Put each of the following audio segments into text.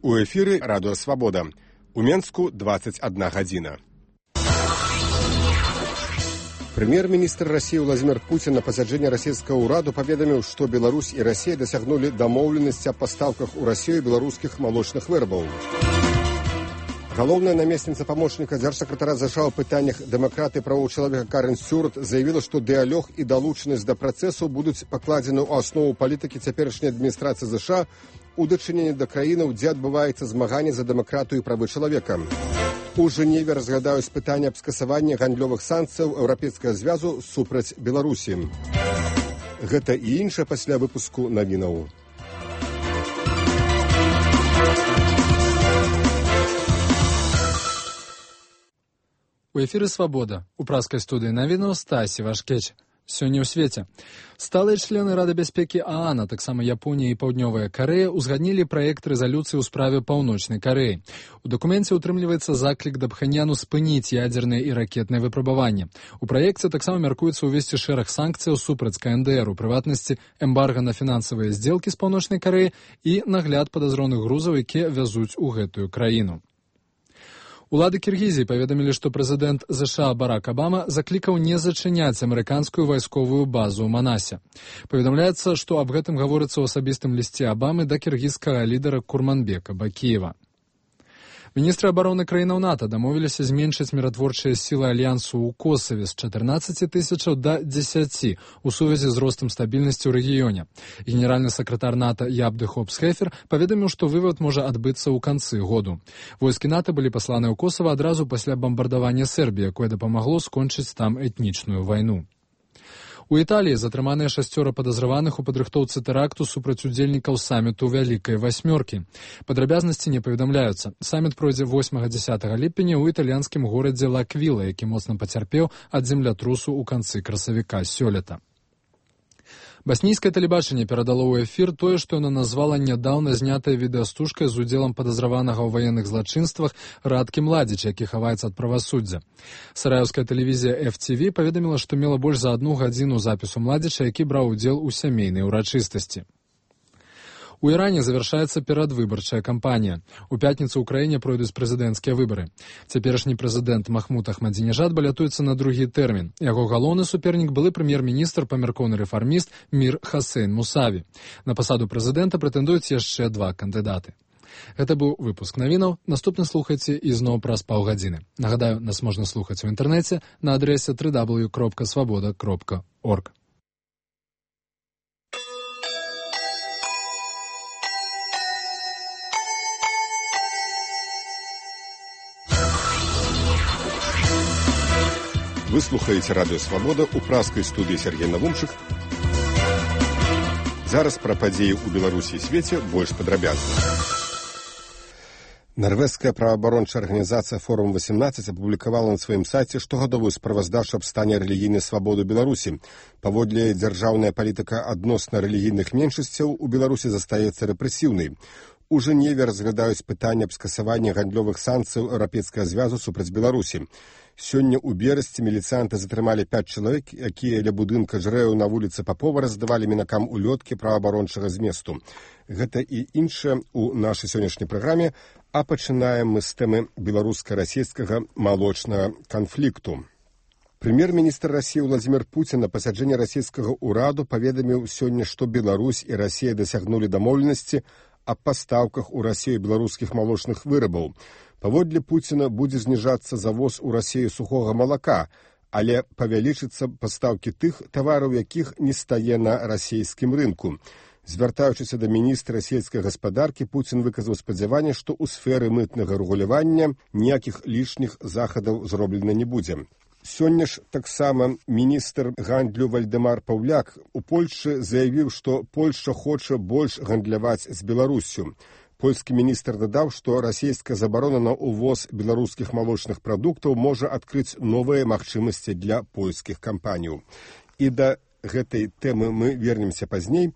У эфіры Радыё Свабода. У Менску 21 гадзіна. Прэм'ер-міністр России Владимир Путин на пасяджэнні расійскага ўраду паведаміў, што Беларусь і Россия дасягнулі дамоўленасці аб пастаўках у Россию беларускіх малочных вырабаў. Галоўная намесніца памочніка дзяржсакратара США ў пытаннях дэмакраты і правоў чалавека Карен Стюарт заявіла, што дыялог і далучанасць да працэсу будуць пакладзены ў аснову палітыкі цяперашняй адміністрацыі США у дачыненні да краінаў, дзе адбываецца змаганне за дэмакратыю і правы чалавека. У Жэневе разглядаюць пытанне аб скасаванні гандлёвых санкцыяў Еўрапейскага звязу супраць Беларусі. Гэта і іншае пасля выпуску навінаў. У эфіры «Свабода». У праскай студыі навіну Стасі Вашкеч. Сёння ў свеце. Сталыя члены Рады бяспекі ААН, а таксама Японія і Паўднёвая Карэя узгаднілі праект рэзалюцыі ў справе Паўночнай Карэі. У дакуменце ўтрымліваецца заклік да Пхэньяну спыніць ядзерныя і ракетныя выпрабаванні. У праекце таксама мяркуецца ўвесці шэраг санкцыяў супраць КНДР, у прыватнасці эмбарга на фінансавыя здзелкі з Паўночнай Карэі і нагляд падазроных грузаў, якія вязуць у гэтую краіну. Улады Кіргізіі паведамілі, што прэзідэнт США Барак Абама заклікаў не зачыняць амерыканскую вайсковую базу ў Манасе. Паведамляецца, што аб гэтым гаворыцца ў асабістым лісце Абамы да кіргізскага лідара Курманбека Бакіева. Міністры абароны краінаў НАТО дамовіліся зменшыць міратворчыя сілы альянсу ў Косаве з 14 тысячаў да 10 у сувязі з ростам стабільнасці ў рэгіёне. Генеральны сакратар НАТО Ябды Хопс-Хефер паведаміў, што вывад можа адбыцца ў канцы году. Войскі НАТО былі пасланы ў Косава адразу пасля бамбардавання Сербіі, якое дапамагло скончыць там этнічную вайну. У Італіі затрыманыя 6 падазраваных у падрыхтоўцы тэракту супраць удзельнікаў саміту Вялікай Васьмёркі. Падрабязнасці не паведамляюцца. Саміт пройдзе 8-10 ліпеня ў італьянскім горадзе Лаквіла, які моцна пацярпеў ад землятрусу ў канцы красавіка сёлета. Баснійскае тэлебачанне перадало ў эфір тое, што яно назвала нядаўна знятая відэастужка з удзелам падазраванага ў ваенных злачынствах Радкі Младзіч, які хаваецца ад правасуддзя. Сараеўская тэлевізія FTV паведаміла, што мела больш за 1 гадзіну запісу Младзіча, які браў удзел у сямейнай урачыстасці. У Іране завяршаецца перадвыбарчая кампанія. У пятніцу ў краіне пройдуць прэзідэнцкія выбары. Цяперашні прэзідэнт Махмуд Ахмадзінежад балятуецца на другі тэрмін. Яго галоўны супернік былы прэм'ер-міністр, памяркоўны рэфарміст Мір Хасейн Мусаві. На пасаду прэзідэнта прэтэндуюць яшчэ 2 кандыдаты. Гэта быў выпуск навінаў. Наступны слухайце ізноў праз паўгадзіны. Нагадаю, нас можна слухаць у інтэрнэце на адрэсе www.svoboda.org. Вы слухаеце Радыё Свабода ў праскай студыі Сергей Навумчык. Зараз пра падзеі ў Беларусі і свеце больш падрабязна. Нарвежская праваабарончая арганізацыя «Форум-18» апублікавала на сваім сайце штогадовую справаздачу аб стане рэлігійнай свабоды Беларусі. Паводле дзяржаўная палітыка адносна рэлігійных меншасцяў у Беларусі застаецца рэпрэсіўнай. У Жэневе разглядаюць пытанне аб скасаванні гандлёвых санкцыяў Еўрапейскага звязу супраць Беларусі. Сёння ў Берасці міліцыянты затрымалі 5 чалавек, якія ля будынка жрэў на вуліцы Папова раздавалі мінакам улёткі праваабарончага зместу. Гэта і іншае ў нашай сённяшняй праграме, а пачынаем мы з тэмы беларуска-расійскага малочнага канфлікту. Прэм'ер-міністр России Владимир Путин на пасяджэнні расійскага ўраду паведаміў сёння, што Беларусь і Россия дасягнулі дамоўленасці аб пастаўках у Россию беларускіх малочных вырабаў. Паводле Пуціна будзе зніжацца завоз у Россию сухога малака, але павялічыцца пастаўкі тых тавараў, якіх не стае на расійскім рынку. Звяртаючыся да міністра сельскай гаспадаркі, Пуцін выказаў спадзяванне, што ў сферы мытнага рэгулявання ніякіх лішніх захадаў зроблена не будзе. Сёння ж таксама міністр гандлю Вальдэмар Паўляк у Польшчы заявіў, што Польшча хоча больш гандляваць з Беларуссю. Польскі міністр дадаў, што расійская забарона на ўвоз беларускіх малочных прадуктаў можа адкрыць новыя магчымасці для польскіх кампаніяў. І да гэтай тэмы мы вернемся пазней,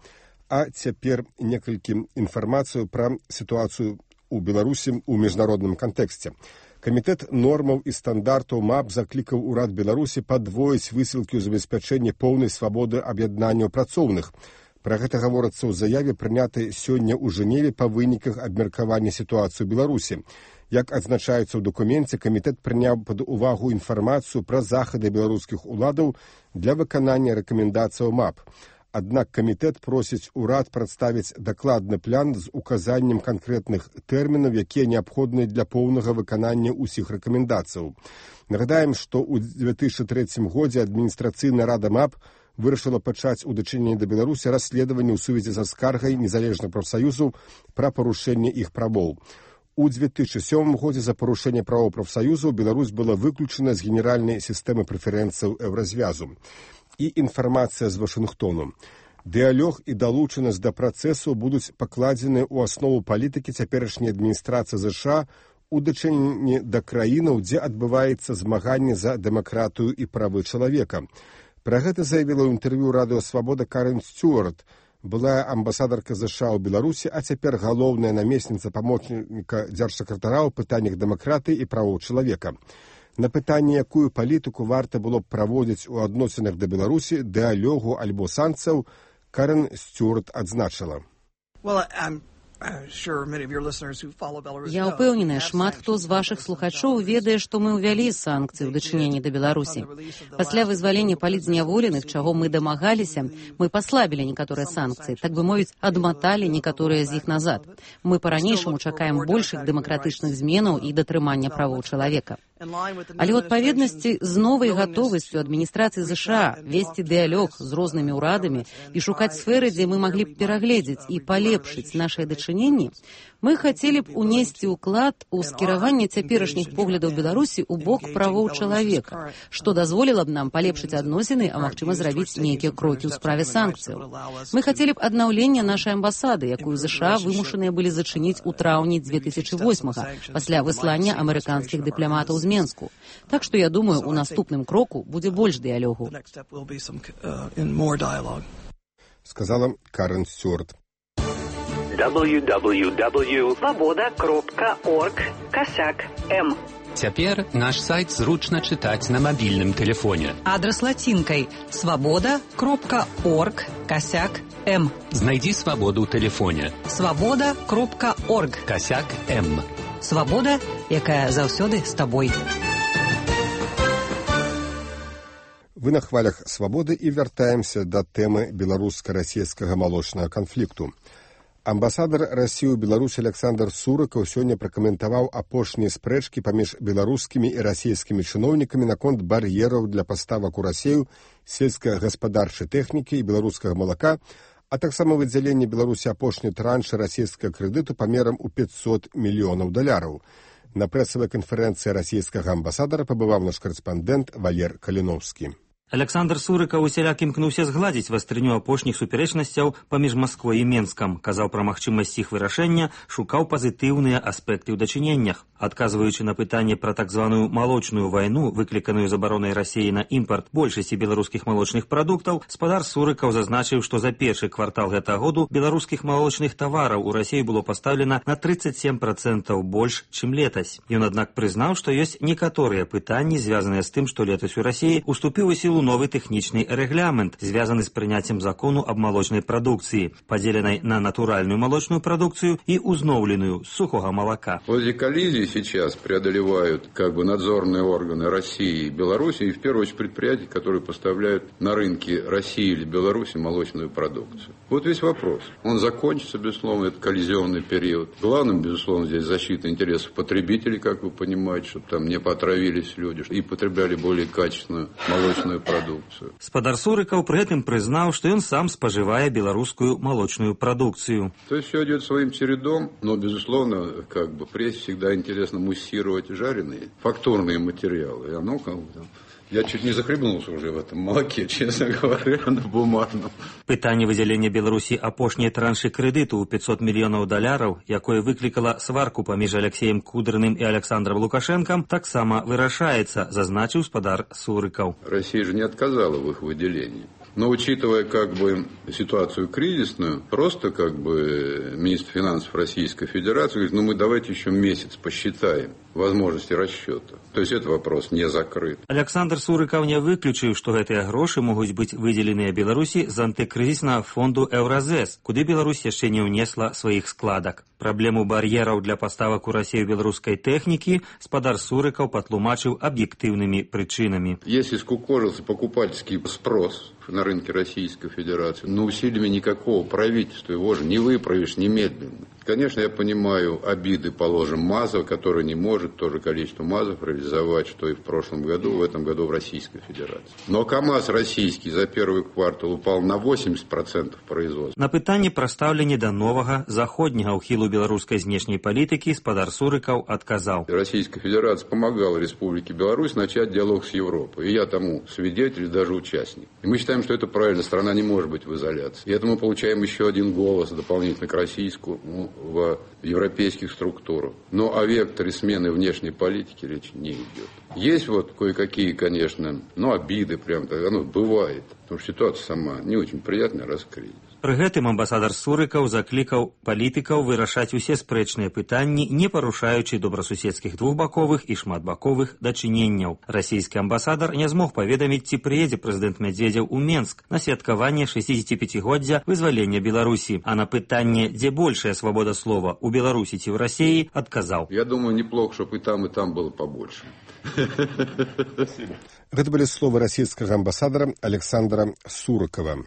а цяпер некалькі інфармацыю пра сітуацыю ў Беларусі ў міжнародным кантэксце. Камітэт нормаў і стандартаў МАП заклікаў урад Беларусі падвоіць высілкі ў забеспячэнні поўнай свабоды аб'яднанняў працоўных. Пра гэта гаворыцца ў заяве, прынятай сёння ў Жэневе па выніках абмеркавання сітуацыі ў Беларусі. Як адзначаецца ў дакуменце, камітэт прыняў пад увагу інфармацыю пра захады беларускіх уладаў для выканання рэкамендацыяў МАП. Аднак камітэт просіць урад прадставіць дакладны план з указаннем канкрэтных тэрмінаў, якія неабходныя для поўнага выканання ўсіх рэкамендацыяў. Нагадаем, што ў 2003 годзе адміністрацыйная рада МАП вырашыла пачаць у дачыненні да Беларусі расследаванне ў сувязі са скаргай незалежных прафсаюзаў пра парушэнне іх правоў. У 2007 годзе за парушэнне правоў прафсаюзаў Беларусь была выключана з генеральнай сістэмы прэферэнцыяў Еўразвязу. І інфармацыя з Вашынгтону. Дыялог і далучанасць да працэсу будуць пакладзены ў аснову палітыкі цяперашняй адміністрацыі ЗША у дачыненні да краінаў, дзе адбываецца змаганне за дэмакратыю і правы чалавека. Пра гэта заявіла ў інтэрв'ю радыё «Свабода» Карен Стюарт, былая амбасадарка ЗША ў Беларусі, а цяпер галоўная намесніца памочніка дзяржсакратара ў пытаннях дэмакратыі і правоў чалавека. На пытанне, якую палітыку варта было б праводзіць у адносінах да Беларусі, дыялогу альбо санкцыяў, Карен Стюарт адзначыла. Я ўпэўненая, шмат хто з вашых слухачоў ведае, што мы ўвялі санкцыі ў дачыненні да Беларусі. Пасля вызвалення палітзняволеных, чаго мы дамагаліся, мы паслабілі некаторыя санкцыі, так бы мовіць, адматалі некаторыя з іх назад. Мы па-ранейшаму чакаем большых дэмакратычных зменаў і датрымання правоў чалавека. Але ў адпаведнасці з новай гатовасцю адміністрацыі ЗША весці дыялог з рознымі ўрадамі і шукаць сферы, дзе мы маглі б перагледзець і палепшыць нашыя дачыненні, мы хацелі б унесці ўклад у скіраванне цяперашніх поглядаў Беларусі ў бок правоў чалавека, што дазволіла б нам палепшыць адносіны, а магчыма зрабіць нейкія крокі ў справе санкцыяў. Мы хацелі б аднаўлення нашай амбасады, якую ЗША вымушаныя былі зачыніць у траўні 2008 пасля выслання амерыканскіх дыпламатаў з Менску. Так што, я думаю, у наступным кроку будзе больш дыялогу. Сказала Карен Стюарт. www.svoboda.org/m. Цяпер наш сайт зручна чытаць на мабільным тэлефоне. Адрас лацінкай svoboda.org/m. Знайдзі свабоду ў тэлефоне. svoboda.org/m. Свабода, якая заўсёды з табой. Вы на хвалях «Свабоды» і вяртаемся да тэмы беларуска-расійскага малочнага канфлікту. Амбасадар Расіі ў Беларусі Александр Сурыкаў сёння пракаментаваў апошнія спрэчкі паміж беларускімі і расійскімі чыноўнікамі наконт бар'ераў для паставак у Расію сельскагаспадарчай тэхнікі і беларускага малака, а таксама выдзяленне Беларусі апошняй траншы расійскага крэдыту памерам у $500 мільёнаў. На прэсавай канферэнцыі расійскага амбасадара пабываў наш карэспандэнт Валер Каліноўскі. Александр Сурыкаў усяляк імкнуўся згладзіць вастрыню апошніх супярэчнасцяў паміж Масквой і Менскам, казаў пра магчымасць іх вырашэння, шукаў пазітыўныя аспекты ў дачыненнях. Адказваючы на пытанне пра так званую малочную вайну, выкліканую забаронай Расіі на імпарт большасці беларускіх малочных прадуктаў, спадар Сурыкаў зазначыў, што за першы квартал гэтага году беларускіх малочных тавараў у Расіі было пастаўлена на 37% больш, чым летась. Ён, аднак, прызнаў, што ёсць некаторыя пытанні, звязаныя з тым, што летась у Расіі уступіў у сілу новый тэхнічны рэгламент, звязаны з прыняццем закону аб малочнай прадукцыі, падзеленай на натуральную молочную продукцию и узновленную с сухого молока. Вот эти коллизии сейчас преодолевают надзорные органы России и Беларуси, и в первую очередь предприятия, которые поставляют на рынки России или Беларуси молочную продукцию. Вот весь вопрос. Он закончится, безусловно, это коллизионный период. Главным, безусловно, здесь защита интересов потребителей, как вы понимаете, чтобы там не потравились люди и потребляли более качественную молочную продукцию. Спадар Сурыкаў при этом признал, что он сам споживает белорусскую молочную продукцию. То есть все идет своим чередом, но, безусловно, прессе всегда интересно муссировать жареные фактурные материалы. И оно Я чуть не захлебнулся уже в этом молоке, честно говоря, на бумажном. Пытанне выдзялення Беларусі апошняй траншы крэдыту ў $500 мільёнаў, якое выклікала сварку паміж Алексеем Кудрыным і Александром Лукашенком, таксама вырашаецца, зазначыў спадар Сурыкаў. Россия же не отказала в их выделении. Но учитывая как бы ситуацию кризисную, просто как бы министр финансов Российской Федерации говорит, мы давайте еще месяц посчитаем возможности расчета. То есть этот вопрос не закрыт. Александр Сурыкаў не выключыў, што гэтыя грошы могуць быць выдзеленыя Беларусі з антыкрызіснага фонду Еўразэс, куды Беларусь яшчэ не ўнесла сваіх складак. Праблему бар'ераў для паставак у Расію беларускай тэхнікі спадар Сурыкаў патлумачыў аб'ектыўнымі прычынамі. Если скукожился покупательский спрос на рынке Российской Федерации, но усилиями никакого правительства его же не выправишь немедленно. Конечно, я понимаю обиды, положим, МАЗа, который не может то же количество МАЗов реализовать, что и в прошлом году, в этом году в Российской Федерации. Но КАМАЗ российский за первый квартал упал на 80% производства. На пытанне пра стаўленне да новага заходняга ўхілу беларускай знешняй палітыкі спадар Сурыкаў адказаў. Российская Федерация помогала Республике Беларусь начать диалог с Европой. И я тому свидетель, даже участник. И мы считаем, что это правильно, страна не может быть в изоляции. И это мы получаем еще один голос дополнительно к российскому в европейских структурах. Но о векторе смены внешней политики речи не идет. Есть вот кое-какие, конечно, обиды прям, бывает. Потому что ситуация сама не очень приятная, раз кризис. Пры гэтым амбасадар Сурыкаў заклікаў палітыкаў вырашаць усе спрэчныя пытанні, не парушаючы добрасуседскіх двухбаковых і шматбаковых дачыненняў. Расійскі амбасадар не змог паведаміць, ці прыедзе прэзідэнт Мядзведзеў у Менск на святкаванне 65-годдзя вызвалення Беларусі. А на пытанне, дзе большая свабода слова, у Беларусі ці ў Расіі, адказаў. Я думаю, неплохо, чтобы и там было побольше. Гэта былі словы расійскага амбасадара Александра Сурыкава.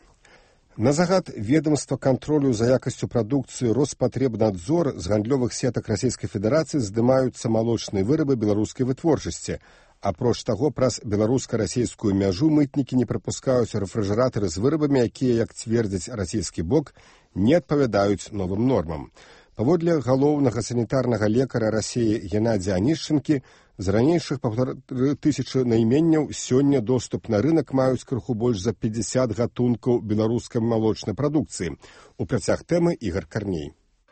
На загад ведомства контролю за якасцю прадукцыі Роспотребнадзор з гандлёвых сетак Расійскай Федэрацыі здымаюцца малочныя вырабы беларускай вытворчасці. Апроч таго, праз беларуска-расійскую мяжу мытнікі не прапускаюць рэфрыжэратары з вырабамі, якія, як цвердзіць расійскі бок, не адпавядаюць новым нормам. Паводле галоўнага санітарнага лекара Расіі Геннадзія Анішчынкі, з ранейшых 1500 найменняў сёння доступ на рынок маюць крыху больш за 50 гатункаў беларускай малочнай прадукцыі. У працяг тэмы Ігор Карней.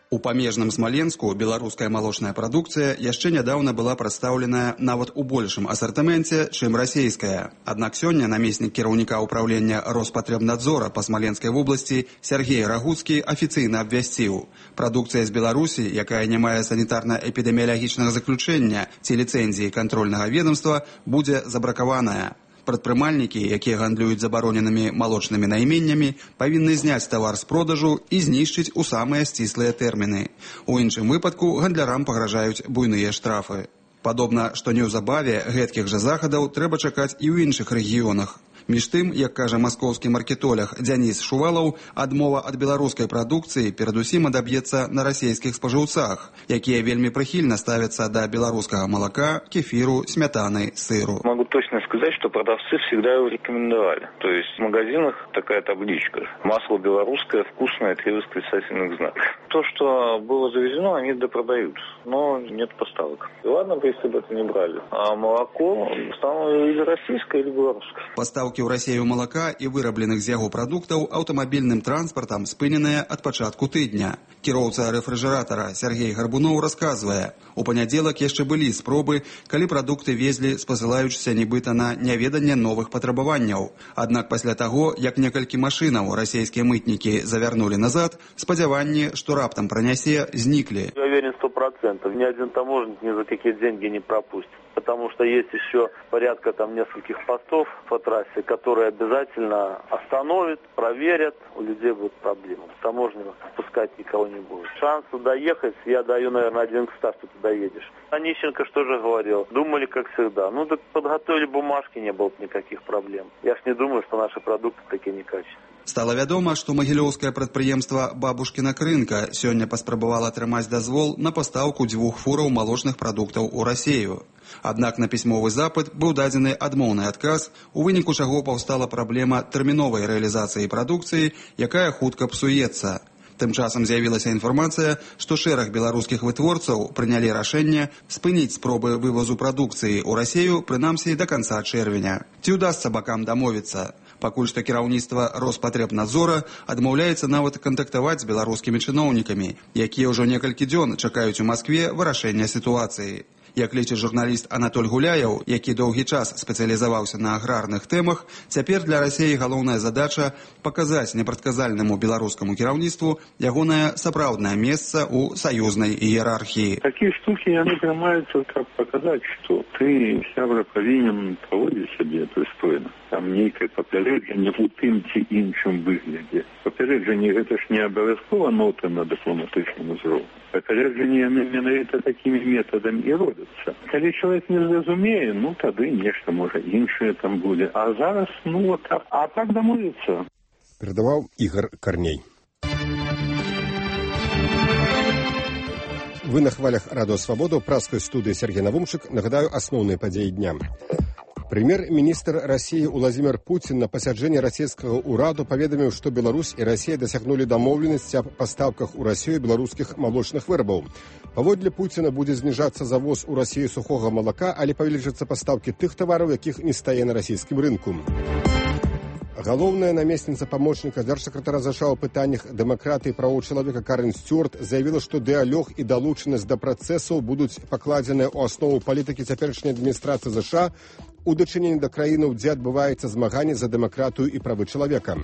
У памежным Смаленску беларуская малочная прадукцыя яшчэ нядаўна была прадстаўленая нават у большым асартыменце, чым расійская. Аднак сёння намеснік кіраўніка ўпраўлення Роспотребнадзора па Смаленскай вобласці Сергей Рагуцкі афіцыйна абвясціў. Прадукцыя з Беларусі, якая не мае санітарна-эпідэміялагічнага заключэння ці ліцэнзіі кантрольнага ведомства, будзе забракаваная. Прадпрымальнікі, якія гандлююць забароненымі малочнымі найменнямі, павінны зняць тавар з продажу і знішчыць у самыя сціслыя тэрміны. У іншым выпадку гандлярам пагражаюць буйныя штрафы. Падобна, што неўзабаве гэткіх жа захадаў трэба чакаць і ў іншых рэгіёнах. Між тым, як кажа маскоўскі маркетолог Дзяніс Шувалаў, адмова ад беларускай прадукцыі перадусім адаб'ецца на расійскіх спажыўцах, якія вельмі прыхільна ставяцца да беларускага малака, кефіру, смятаны, сыру. Могу точно сказать, что продавцы всегда его рекомендовали. То есть в магазинах такая табличка: масло белорусское, вкусное, 3 восклицательных знака. То, что было завезено, они допродают, но нет поставок. И ладно бы, если бы это не брали. А молоко стало или российское, или белорусское. Поставки ў Расію малака і вырабленых з яго прадуктаў аўтамабільным транспартам спыненыя ад пачатку тыдня. Кіроўца рэфрыжэратара Сергей Гарбуноў расказвае, у панядзелак яшчэ былі спробы, калі прадукты везлі, спасылаючыся нібыта на няведанне новых патрабаванняў. Аднак пасля таго, як некалькі машынаў расійскія мытнікі завярнулі назад, спадзяванні, што раптам пранясе, зніклі. Я уверен 100%. Ни один таможенник ни за какие деньги не пропустит. Потому что есть еще порядка нескольких постов по трассе, которые обязательно остановят, проверят. У людей будут проблемы. Таможня пускать никого не будет. Шансы доехать, я даю, наверное, 1 к 100, что ты доедешь. Онищенко что же говорил? Думали, как всегда. Так подготовили бумажки, не было никаких проблем. Я ж не думаю, что наши продукты такие некачественные. Стала вядома, што магілёўскае прадпрыемства «Бабушкіна крынка» сёння паспрабавала атрымаць дазвол на пастаўку 2 фураў малочных прадуктаў у Расію. Аднак на пісьмовы запыт быў дадзены адмоўны адказ, у выніку чаго паўстала праблема тэрміновай рэалізацыі прадукцыі, якая хутка псуецца. Тым часам з'явілася інфармацыя, што шэраг беларускіх вытворцаў прынялі рашэнне спыніць спробы вывозу прадукцыі ў Расію, прынамсі, да канца чэрвеня. Ці ўдасца бакам дамовіцца? Пакуль што кіраўніцтва Роспотребнадзора адмаўляецца нават кантактаваць з беларускімі чыноўнікамі, якія ўжо некалькі дзён чакаюць у Маскве вырашэння сітуацыі. Як лічыць журналіст Анатоль Гуляев, які доўгі час спецыялізаваўся на аграрных тэмах, цяпер для Расіі галоўная задача паказаць непрадказальнаму беларускаму кіраўніцтву ягонае сапраўднае месца ў саюзнай іерархіі. Такія штукі яны прымаюцца, каб паказаць, што ты, сябра, павінен паводзіць сябе прыстойна. Там нейкае папярэджанне ў тым ці іншым выглядзе. Папярэджанне гэта ж не абавязкова нота на дыпламатычным узроўні. Папярэджанне яны менавіта такімі метадамі і робяцца. Калі чалавек не зразумее, тады нешта можа іншае там будзе. А зараз, так дамовіцца. Перадаваў Ігор Карней. Вы на хвалях Радио Свобода, у праскай студыі Сергей Навумчык. Нагадаю асноўныя падзеі дня. Прэм'ер-міністр России Владимир Путин на пасяджэнні расійскага ўраду паведаміў, што Беларусь і Россия дасягнулі дамоўленасці аб пастаўках у Россию беларускіх малочных вырабаў. Паводле Путина будзе зніжацца завоз у Россию сухога малака, але павялічацца пастаўкі тых тавараў, якіх не стае на расійскім рынку. Галоўная намесніца памочніка дзяржсакратара США ў пытаннях дэмакратыі і правоў чалавека Карен Стюарт заявіла, што дыялог і далучанасць да працэсаў будуць пакладзеныя ў аснову палітыкі цяперашняй адміністрацыі США у дачыненні да краінаў, дзе адбываецца змаганне за дэмакратыю і правы чалавека.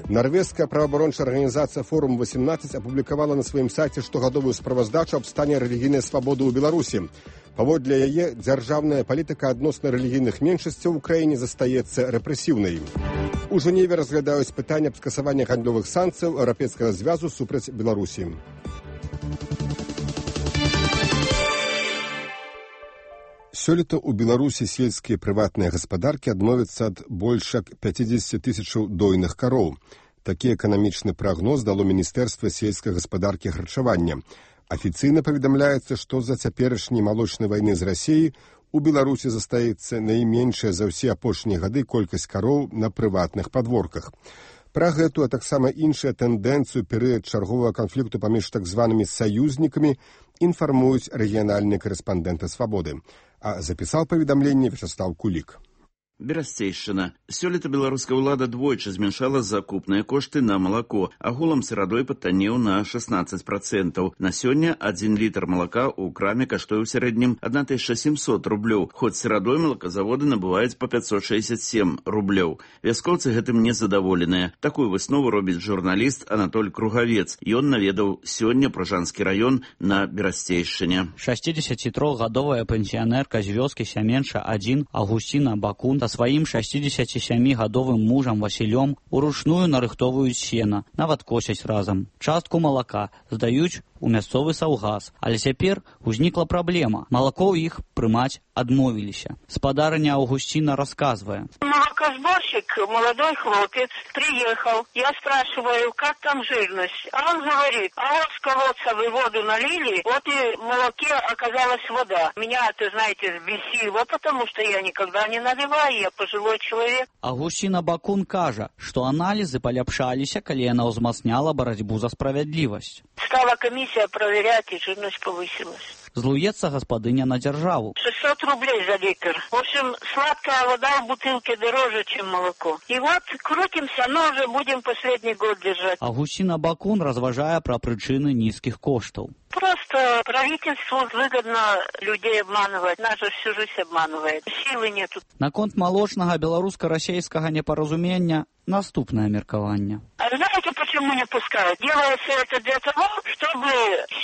Нарвежская праваабарончая арганізацыя «Форум-18» апублікавала на сваім сайце штогадовую справаздачу аб стане рэлігійнай свабоды ў Беларусі. Паводле яе, дзяржаўная палітыка адносна рэлігійных меншасцяў у краіне застаецца рэпрэсіўнай. У Жэневе разглядаюць пытанне аб скасаванні гандлёвых санкцыяў Еўрапейскага звязу супраць Беларусі. Сёлета ў Беларусі сельскія прыватныя гаспадаркі адмовяцца ад больш як 50 тысячаў дойных кароў. Такі эканамічны прагноз дало Міністэрства сельскай гаспадаркі і харчавання. Афіцыйна паведамляецца, што з-за цяперашняй малочнай вайны з Расіяй у Беларусі застаецца найменшая за ўсе апошнія гады колькасць кароў на прыватных падворках. Пра гэту, а таксама іншыя тэндэнцыю перыяд чарговага канфлікту паміж так званымі саюзнікамі інфармуюць рэгіянальныя карэспандэнты «Свабоды». А запісаў паведамленне Вячеслав Кулік. Берасцейшчына. Сёлета беларуская ўлада двойчы змяншала закупныя кошты на малако. Агулам сырадой патаннеў на 16%. На сёння 1 літр малака ў краме каштуе ў сярэднім 1700 рублёў. Хоць сырадой малаказаводы набываюць па 567 рублёў. Вяскоўцы гэтым незадаволеныя. Такую выснову робіць журналіст Анатоль Кругавец. Ён наведаў сёння Пражанскі раён на Берасцейшчыне. 63-гадовая пенсіянерка з вёскі Сяменша-1 Авгусціна Бакун сваім 67-гадовым мужам Васілём уручную нарыхтоваюць сена, нават косяць разам. Частку малака здаюць у мясцовы саўгас, але цяпер узнікла праблема. Малако ў іх прымаць адмовіліся. Спадарыня Августина рассказывая. Молокосборщик, молодой хлопец, приехал. Я спрашиваю, как там жирность? А он говорит, а вот с колодца вы воду налили, вот и в молоке оказалась вода. Меня, ты знаете, взбесило, потому что я никогда не наливаю, я пожилой человек. Августина Бакун кажа, што аналізы паляпшаліся, калі яна ўзмацняла барацьбу за справядлівасць. Стала комиссия проверять, и жирность повысилась. Злуецца гаспадыня на дзяржаву. 600 рублей за литр. В общем, сладкая вода в бутылке дороже, чем молоко. И вот крутимся, но уже будем последний год держать. Августина Бакун разважае пра прычыны нізкіх коштаў. Просто правительству выгодно людей обманывать. Нас же всю жизнь обманывает. Силы нету. Наконт малочнага беларуска-расейскага непаразумення наступнае меркаванне. А знаете, почему не пускают? Делается это для того, чтобы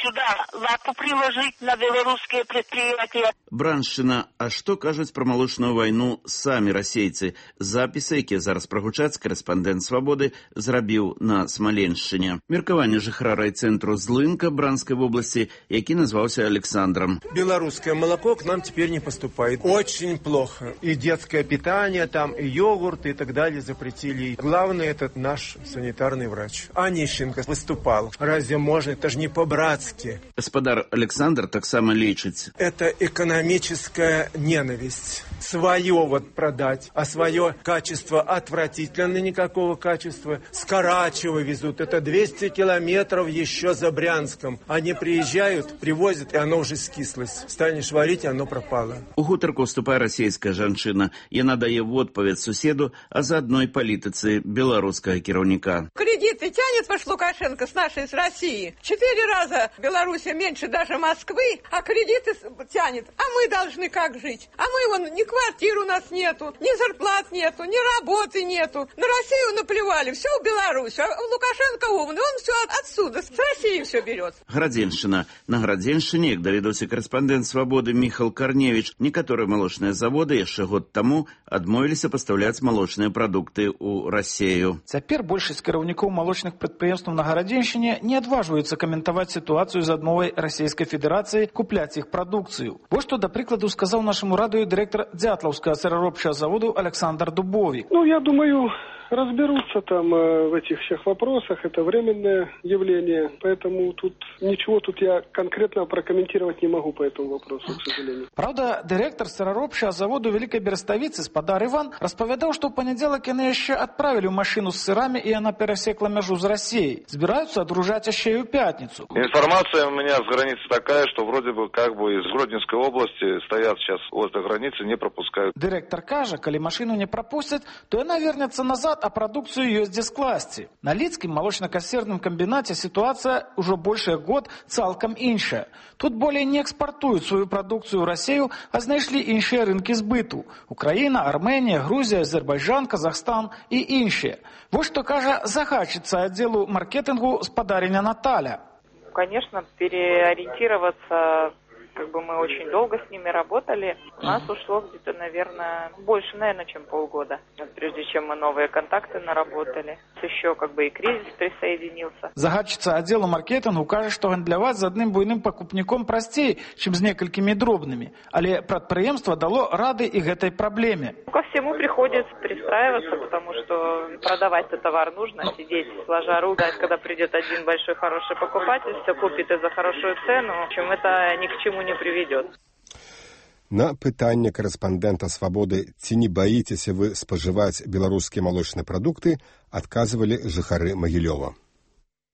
сюда лапу приложить на белорусские предприятия. Браншчына, а што кажуць пра малочную вайну самі расейцы? Запісы, якія зараз прагучаць, карэспандэнт «Свабоды» зрабіў на Смаленшчыне. Меркаванне жыхара райцэнтру Злынка Бранскай вобласці, які назваўся Александром. Белорусское молоко к нам теперь не поступает. Очень плохо. И детское питание там, и йогурт, и так далее запретили. Главное, этот наш санитарный врач. Онищенко выступал. Разве можно? Это же не по-братски. Господар Александр таксама лічыць. Это экономическая ненависть. свое вот продать, а свое качество отвратительно, никакого качества. С Карачева везут, это 200 километров еще за Брянском. Они приезжают, привозят, и оно уже скислось. Станешь варить, и оно пропало. У гутарку вступае расійская жанчына. Яна дае в адпавед суседу, а заодно и палітыцы беларускага кіраўніка. Кредиты тянет ваш Лукашенко с нашей, с России. 4 раза Белоруссия меньше даже Москвы, а кредиты тянет. А мы должны как жить? А мы вон, ни квартир у нас нету, ни зарплат нету, ни работы нету. На Россию наплевали, все в Беларусь. А Лукашенко умный, он все отсюда, с России все берет. Градзеншчына. На Градзеншчыне, як даведаўся корэспандэнт «Свабоды» Міхал Карневіч, некаторыя малочныя заводы яшчэ год таму адмовіліся пастаўляць малочныя прадукты ў Расію. Цяпер большасць кіраўнікоў малочных прадпрыемстваў на Гарадзеншчыне не адважваюцца каментаваць сітуацыю з адмовай Расійскай Федэрацыі купляць іх прадукцыю. Вось што, да прыкладу, сказаў нашаму радыё дырэктар Дзятлаўскага сыраробчага заводу Александр Дубовик. Я думаю, разберутся там в этих всех вопросах, это временное явление, поэтому ничего я конкретно прокомментировать не могу по этому вопросу, к сожалению. Правда, директор сыраробчага заводу Великой Берестовицы Спадар Иван распавядаў, што ў панядзелак яны яшчэ адправілі машину с сырами, и она перасекла мяжу з Россией. Збіраюцца адгружаць яшчэ і ў пятницу. Информация у меня с границы такая, что вроде бы из Гродненской области стоят сейчас возле границы, не пропускают. Директор кажа, калі машину не пропустят, то яна вернется назад, а продукцию ёсць дзе скласці. На Лідскім молочно-касерным комбинате ситуация уже больше год цалкам іншая. Тут более не экспортуют свою продукцию в Россию, а знайшлі іншыя рынкі збыту. Украина, Армения, Грузия, Азербайджан, Казахстан и іншыя. Вот что кажа загадчица отделу маркетингу Спадариня Наталья. Конечно, переориентироваться, мы очень долго с ними работали. У нас ушло где-то, больше, чем полгода, прежде чем мы новые контакты наработали. Еще и кризис присоединился. Загадчица отдела маркетингу кажа, што гандляваць з адным буйным пакупніком прасцей, чым з некалькімі дробнымі. Але прадпрыемства дало рады і гэтай праблеме. Ко всему приходится пристраиваться, потому что продавать-то товар нужно, сидеть сложа руки, когда придет один большой хороший покупатель, все купит и за хорошую цену, в общем, это ни к чему не приведет. На пытанне корэспандэнта «Свабоды», ці не баіцеся вы спажываць беларускія малочныя прадукты, адказвалі жыхары Магілёва.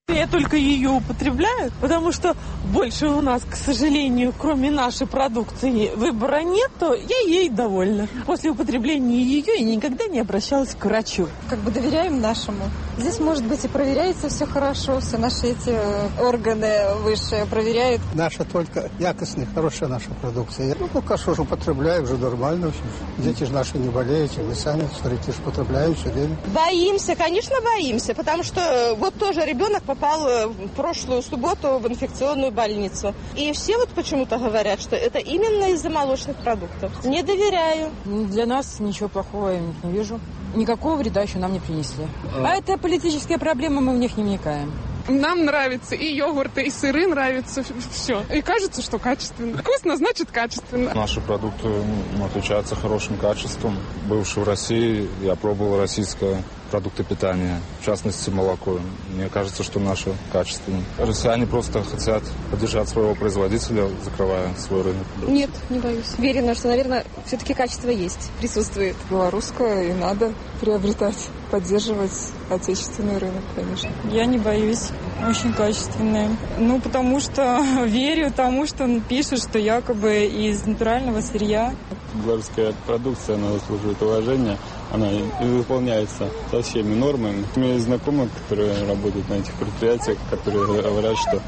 Я только ее употребляю, потому что больше у нас, к сожалению, кроме нашей продукции, выбора нет, то я ей довольна. После употребления ее я никогда не обращалась к врачу. Доверяем нашему. Здесь, может быть, и проверяется все хорошо, все наши эти органы высшие проверяют. Наша только якостная, хорошая наша продукция. Пока что же употребляю, уже нормально. Дети же наши не болеют, мы сами, смотрите, употребляем все время. Боимся, конечно, боимся, потому что вот тоже ребенок попал в прошлую субботу в инфекционную больницу. И все почему-то говорят, что это именно из-за молочных продуктов. Не доверяю. Для нас ничего плохого я не вижу. Никакого вреда еще нам не принесли. А это политические проблемы, мы в них не вникаем. Нам нравится и йогурты, и сыры нравятся, все. И кажется, что качественно. Вкусно, значит качественно. Наши продукты отличаются хорошим качеством. Бывший в России, я пробовал российское продукты питания, в частности молоко. Мне кажется, что наше качественное. Россияне просто хотят поддержать своего производителя, закрывая свой рынок. Нет, не боюсь. Уверена, что, наверное, все-таки качество есть, присутствует. Белорусское и надо приобретать, поддерживать отечественный рынок, конечно. Я не боюсь. Очень качественные. Потому что верю тому, что он пишет, что якобы из натурального сырья. Белорусская продукция, она заслуживает уважения. Она выполняется со всеми нормами. У меня есть знакомые, которые работают на этих предприятиях, которые говорят, что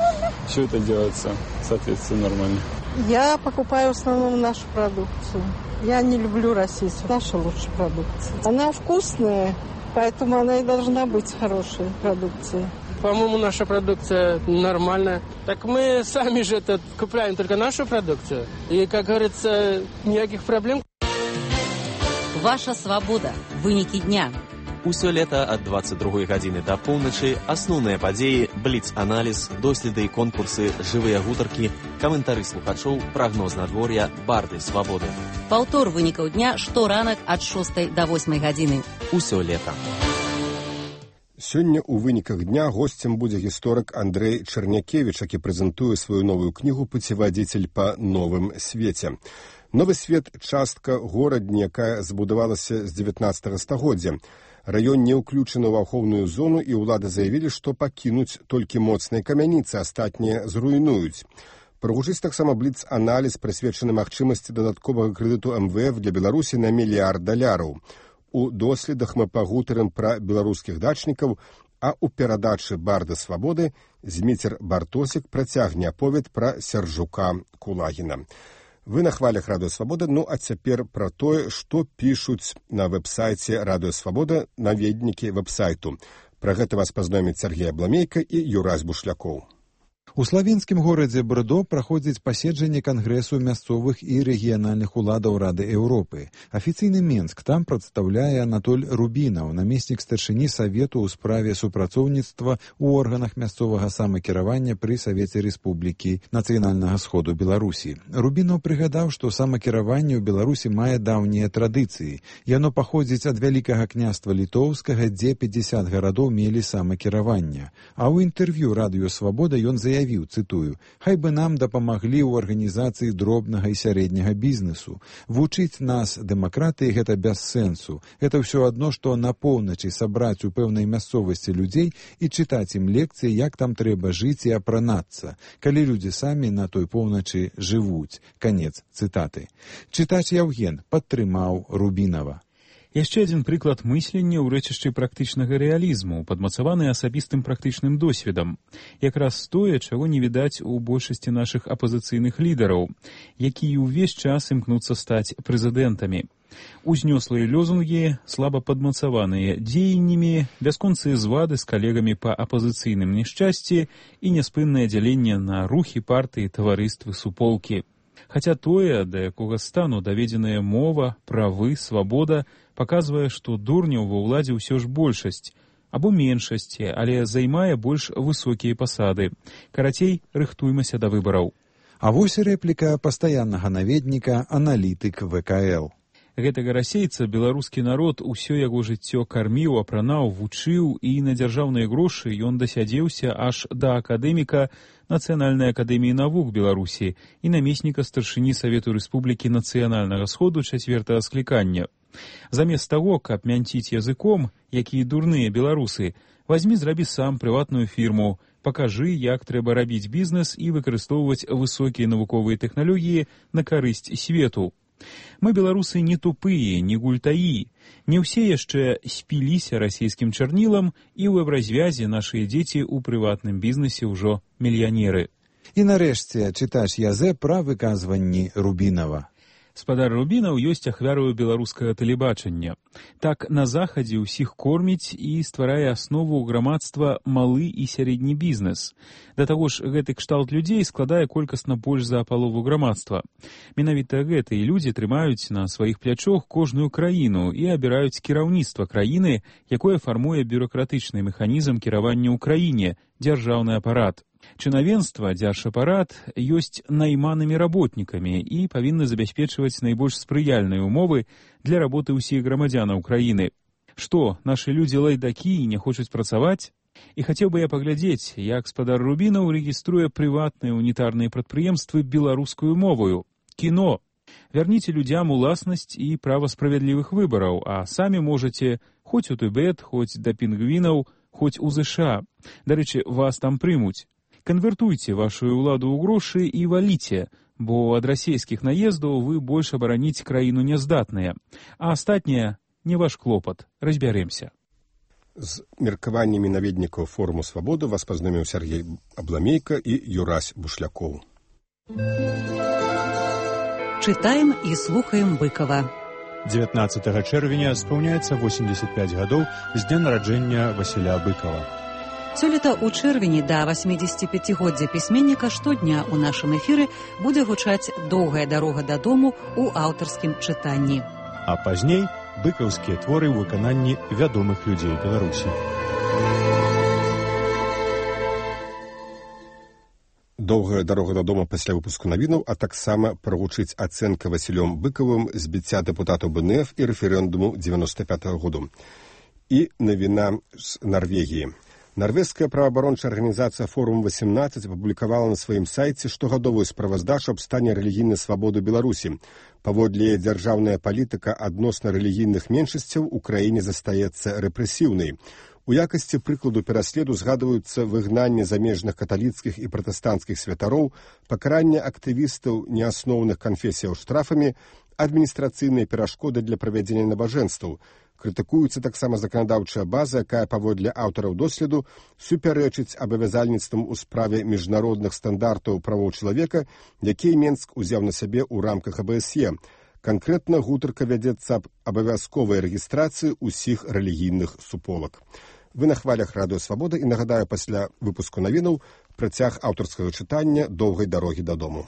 все это делается в соответствии с нормами. Я покупаю в основном нашу продукцию. Я не люблю российскую. Наша лучшая продукция. Она вкусная, поэтому она и должна быть хорошей продукцией. По-моему, наша продукция нормальная. Так мы сами же купляем только нашу продукцию. И, как говорится, никаких проблем. Ваша свабода. Вынікі дня. Усё лета ад 22 гадзіны да поўначы асноўныя падзеі, бліц-аналіз, доследы і конкурсы, жывыя гутаркі, каментары слухачоў, прагноз надвор'я, барды свабоды. Паўтор вынікаў дня шторанак ад 6 да 8 гадзіны. Усё лета. Сёння ў выніках дня госцем будзе гісторык Андрэй Чарнякевіч, які прэзентуе сваю новую кнігу «Пуцеводитель па новым свеце». Новы свет – частка горадні, якая збудавалася з 19 стагоддзя. Раён не ўключаны ў ахоўную зону, і ўлады заявілі, што пакінуць толькі моцныя камяніцы, астатнія зруйнуюць. Прагучыць таксама бліц-аналіз, прысвечаны магчымасці дадатковага крэдыту МВФ для Беларусі на $1 мільярд. У доследах мы пагутарым пра беларускіх дачнікаў, а ў перадачы «Барды свабоды» Зміцер Бартосік працягне аповед пра Сяржука Кулагіна. Вы на хвалях Радыё Свабода, а цяпер пра тое, што пішуць на вэб-сайце Радыё Свабода наведнікі вэб-сайту. Пра гэта вас пазнаёміць Сергей Абламейка і Юрась Бушлякоў. У славенскім горадзе Брдо праходзіць паседжанне Кангрэсу мясцовых і рэгіянальных уладаў Рады Еўропы. Афіцыйны Менск там прадстаўляе Анатоль Рубінаў, намеснік старшыні Савету ў справе супрацоўніцтва ў органах мясцовага самакіравання пры Савеце Рэспублікі Нацыянальнага сходу Беларусі. Рубінаў прыгадаў, што самакіраванне ў Беларусі мае даўнія традыцыі. Яно паходзіць ад Вялікага княства Літоўскага, дзе 50 гарадоў мелі самакіраванне. А ў інтэрв'ю Радыё Свабода ён заявіў, цытую, «Хай бы нам дапамаглі ў арганізацыі дробнага і сярэдняга бізнесу. Вучыць нас дэмакратыі гэта без сэнсу. Гэта ўсё адно, што на поўначы сабраць у пэўнай мясцовасці людзей і чытаць ім лекцыі, як там трэба жыць і апранацца, калі людзі самі на той поўначы жывуць». Канец цытаты. Чытач Яўген падтрымаў Рубінава. Яшчэ адзін прыклад мыслення ў рэчышчы практычнага рэалізму, падмацаваны асабістым практычным досведам. Якраз тое, чаго не відаць у большасці нашых апазіцыйных лідараў, якія ўвесь час імкнуцца стаць прэзідэнтамі. Узнёслыя лозунгі, слаба падмацаваныя дзеяннямі, бясконцыя звады з калегамі па апазіцыйным няшчасці і няспыннае дзяленне на рухі, партыі, таварыствы, суполкі. Хаця тое, да якога стану даведзеная мова, правы, свабода, паказвае, што дурняў ва ўладзе ўсё ж большасць, або меншасці, але займае больш высокія пасады. Карацей, рыхтуймася да выбараў. А вось рэпліка пастаяннага наведніка, аналітык ВКЛ. Гэтага расейца беларускі народ усё яго жыццё карміў, апранаў, вучыў, і на дзяржаўныя грошы ён дасядзеўся аж да акадэміка Нацыянальнай акадэміі навук Беларусі і намесніка старшыні Савету Рэспублікі Нацыянальнага сходу 4-го склікання. Замест таго, каб мянціць языком, якія дурныя беларусы, вазьмі зрабі сам прыватную фірму, пакажы, як трэба рабіць бізнес і выкарыстоўваць высокія навуковыя тэхналогіі на карысць свету. Мы, беларусы, не тупыя, не гультаі. Не ўсе яшчэ спіліся расійскім чарнілам, і ў еўразвязе нашыя дзеці ў прыватным бізнесе ўжо мільянеры. І нарэшце чытач Язэ пра выказванні Рубінава. Спадар Рубінаў ёсць ахвярою беларускага тэлебачання. Так на захадзе ўсіх корміць і стварае аснову грамадства малы і сярэдні бізнес. Да таго ж, гэты кшталт людзей складае колькасна больш за палову грамадства. Менавіта гэтыя людзі трымаюць на сваіх плячох кожную краіну і абіраюць кіраўніцтва краіны, якое фармуе бюракратычны механізм кіравання ў краіне, дзяржаўны апарат. Чынавенства, дзяржапарат ёсць найманымі работнікамі і павінны забяспечваць найбольш спрыяльныя ўмовы для работы ўсіх грамадзянаў краіны. Што, нашы людзі лайдакі і не хочуць працаваць? І хацеў бы я паглядзець, як спадар Рубінаў рэгіструе прыватныя унітарныя прадпрыемствы беларускую моваю. Кіно. Вярніце людзям уласнасць і права справядлівых выбараў, а самі можаце хоць у Тыбет, хоць да пінгвінаў, хоць у ЗША. Дарэчы, вас там прымуць. Канвертуйце вашу ўладу ў грошы і валіце, бо ад расійскіх наездаў вы больш абараніць краіну няздатныя, а астатняе не ваш клопат. Разбярэмся. З меркаваннямі наведнікаў форуму «Свабода» вас пазнаёміў Сергей Абламейка і Юрась Бушлякоў. Чытаем і слухаем Быкова. 19 чэрвеня спаўняецца 85 гадоў з дня нараджэння Васіля Быкова. Сёлета ў чэрвені да 85-годдзя пісьменніка штодня ў нашым эфіры будзе гучаць «Доўгая дарога дадому» ў аўтарскім чытанні. А пазней быкаўскія творы ў выкананні вядомых людзей Беларусі. Доўгая дарога дадому пасля выпуску навінаў, а таксама прагучыць ацэнка Васілём Быкавым збіцця дэпутатаў БНФ і рэферэндуму 95-го году. І навіна з Нарвегіі. Нарвежская праваабарончая арганізацыя «Форум-18» апублікавала на сваім сайце штогадовую справаздачу аб стане рэлігійнай свабоды Беларусі. Паводле дзяржаўная палітыка адносна рэлігійных меншасцяў у краіне застаецца рэпрэсіўнай. У якасці прыкладу пераследу згадваюцца выгнанне замежных каталіцкіх і пратэстанцкіх святароў, пакаранне актывістаў неасноўных канфесіяў штрафамі, адміністрацыйныя перашкоды для правядзення набажэнстваў. Крытыкуецца таксама заканадаўчая база, якая паводле аўтараў доследу супярэчыць абавязальніцтвам у справе міжнародных стандартаў правоў чалавека, якія Менск узяў на сябе ў рамках АБСЕ. Канкрэтна гутарка вядзецца аб абавязковай рэгістрацыі ўсіх рэлігійных суполак. Вы на хвалях Радыё Свабода і нагадаю пасля выпуску навінаў працяг аўтарскага чытання «Доўгай дарогі дадому».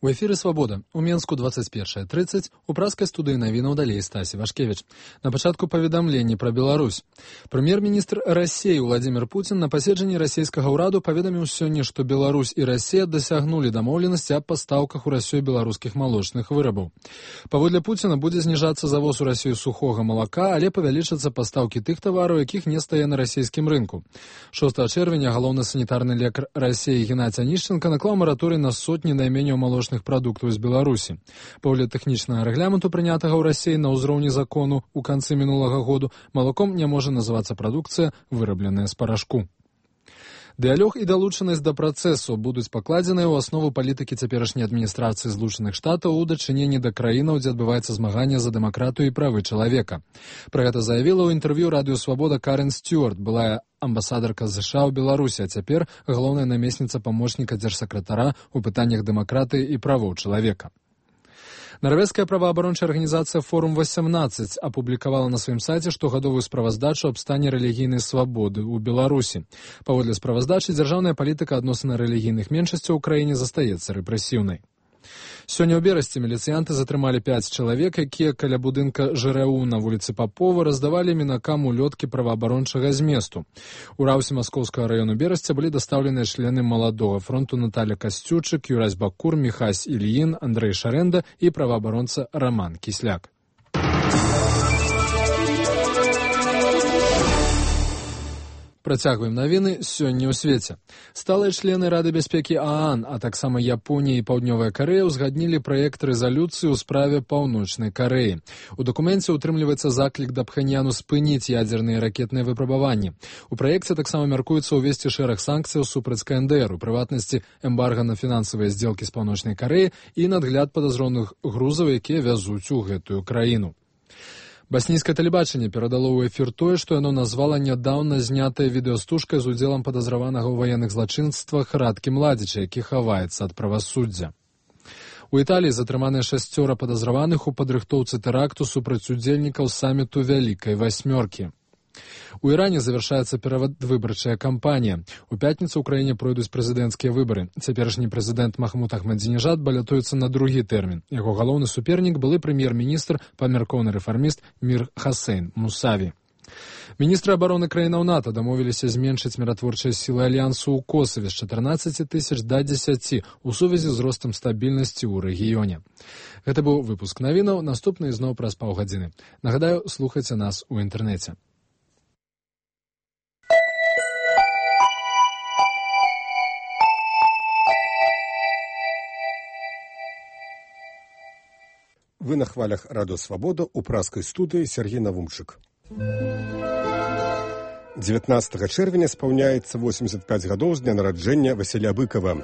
У эфіры «Свабода». У Менску 21:30, у праскай студыі навінаў далей Стасі Вашкевіч. На пачатку паведамленні пра Беларусь. Прэм'ер-міністр Расіі Владзімір Пуцін на паседжанні расійскага ўраду паведаміў сёння, што Беларусь і Расія дасягнулі дамоўленасці аб пастаўках у Расію беларускіх малочных вырабаў. Паводле Пуціна будзе зніжацца завоз у Расію сухога малака, але павялічацца пастаўкі тых тавараў, якіх не стае на расійскім рынку. 6 чэрвеня галоўны санітарны лекар Расіі Геннадзь Анішченка наклаў мараторый на сотні найменняў малочных прадуктаў з Беларусі. Паводле тэхнічнага рэгламенту, прынятага ў Расіі на ўзроўні закону ў канцы мінулага году, малаком не можа называцца прадукцыя, вырабленая з парашку. Дыялог і далучанасць да працэсу будуць пакладзеныя ў аснову палітыкі цяперашняй адміністрацыі Злучаных Штатаў у дачыненні да краінаў, дзе адбываецца змаганне за дэмакратыю і правы чалавека. Пра гэта заявіла ў інтэрв'ю Радыё Свабода Карен Стюарт, былая амбасадарка США ў Беларусі, а цяпер галоўная намесніца памочніка дзяржсакратара ў пытаннях дэмакратыі і правоў чалавека. Нарвежская праваабарончая арганізацыя «Форум-18» апублікавала на сваім сайце штогадовую справаздачу аб стане рэлігійнай свабоды ў Беларусі. Паводле справаздачы, дзяржаўная палітыка адносна рэлігійных меншасцяў у краіне застаецца рэпрэсіўнай. Сёння ў Берасці міліцыянты затрымалі 5 чалавек, якія каля будынка ЖРУ на вуліцы Папова раздавалі мінакам улёткі праваабарончага зместу. У раўсе Маскоўскага раёну Берасця былі дастаўленыя члены маладога фронту Наталя Касцючык, Юрась Бакур, Міхась Ільін, Андрэй Шарэнда і праваабаронца Раман Кісляк. Працягваем навіны сёння ў свеце. Сталыя члены Рады бяспекі ААН, а таксама Японія і Паўднёвая Карэя узгаднілі праект рэзалюцыі ў справе Паўночнай Карэі. У дакуменце ўтрымліваецца заклік да Пхэньяну спыніць ядзерныя ракетныя выпрабаванні. У праекце таксама мяркуецца ўвесці шэраг санкцыяў супраць КНДР, у прыватнасці эмбарга на фінансавыя здзелкі з Паўночнай Карэі і надгляд падазроных грузаў, якія вязуць у гэтую краіну. Баснійскае тэлебачанне перадало ў эфір тое, што яно назвала нядаўна знятая відэастужка з удзелам падазраванага ў ваенных злачынствах Радкі Младзіча, які хаваецца ад правасуддзя. У Італіі затрыманыя 6 падазраваных у падрыхтоўцы тэракту супраць удзельнікаў саміту Вялікай Васьмёркі. У Іране завяршаецца перадвыбарчая кампанія. У пятніцу ў краіне пройдуць прэзідэнцкія выбары. Цяперашні прэзідэнт Махмуд Ахмадзінежад балятуецца на другі тэрмін. Яго галоўны супернік былы прэм'ер-міністр, памяркоўны рэфарміст Мір Хасейн Мусаві. Міністры абароны краінаў НАТО дамовіліся зменшыць міратворчыя сілы альянсу ў Косаве з 14 000 да 10 у сувязі з ростам стабільнасці ў рэгіёне. Гэта быў выпуск навінаў, наступны зноў праз паўгадзіны. Нагадаю, слухайце нас у інтэрнэце. Вы на хвалях Радыё Свабода у праскай студыі Сергей Навумчык. 19 чэрвеня спаўняецца 85 гадоў з дня нараджэння Васіля Быкава.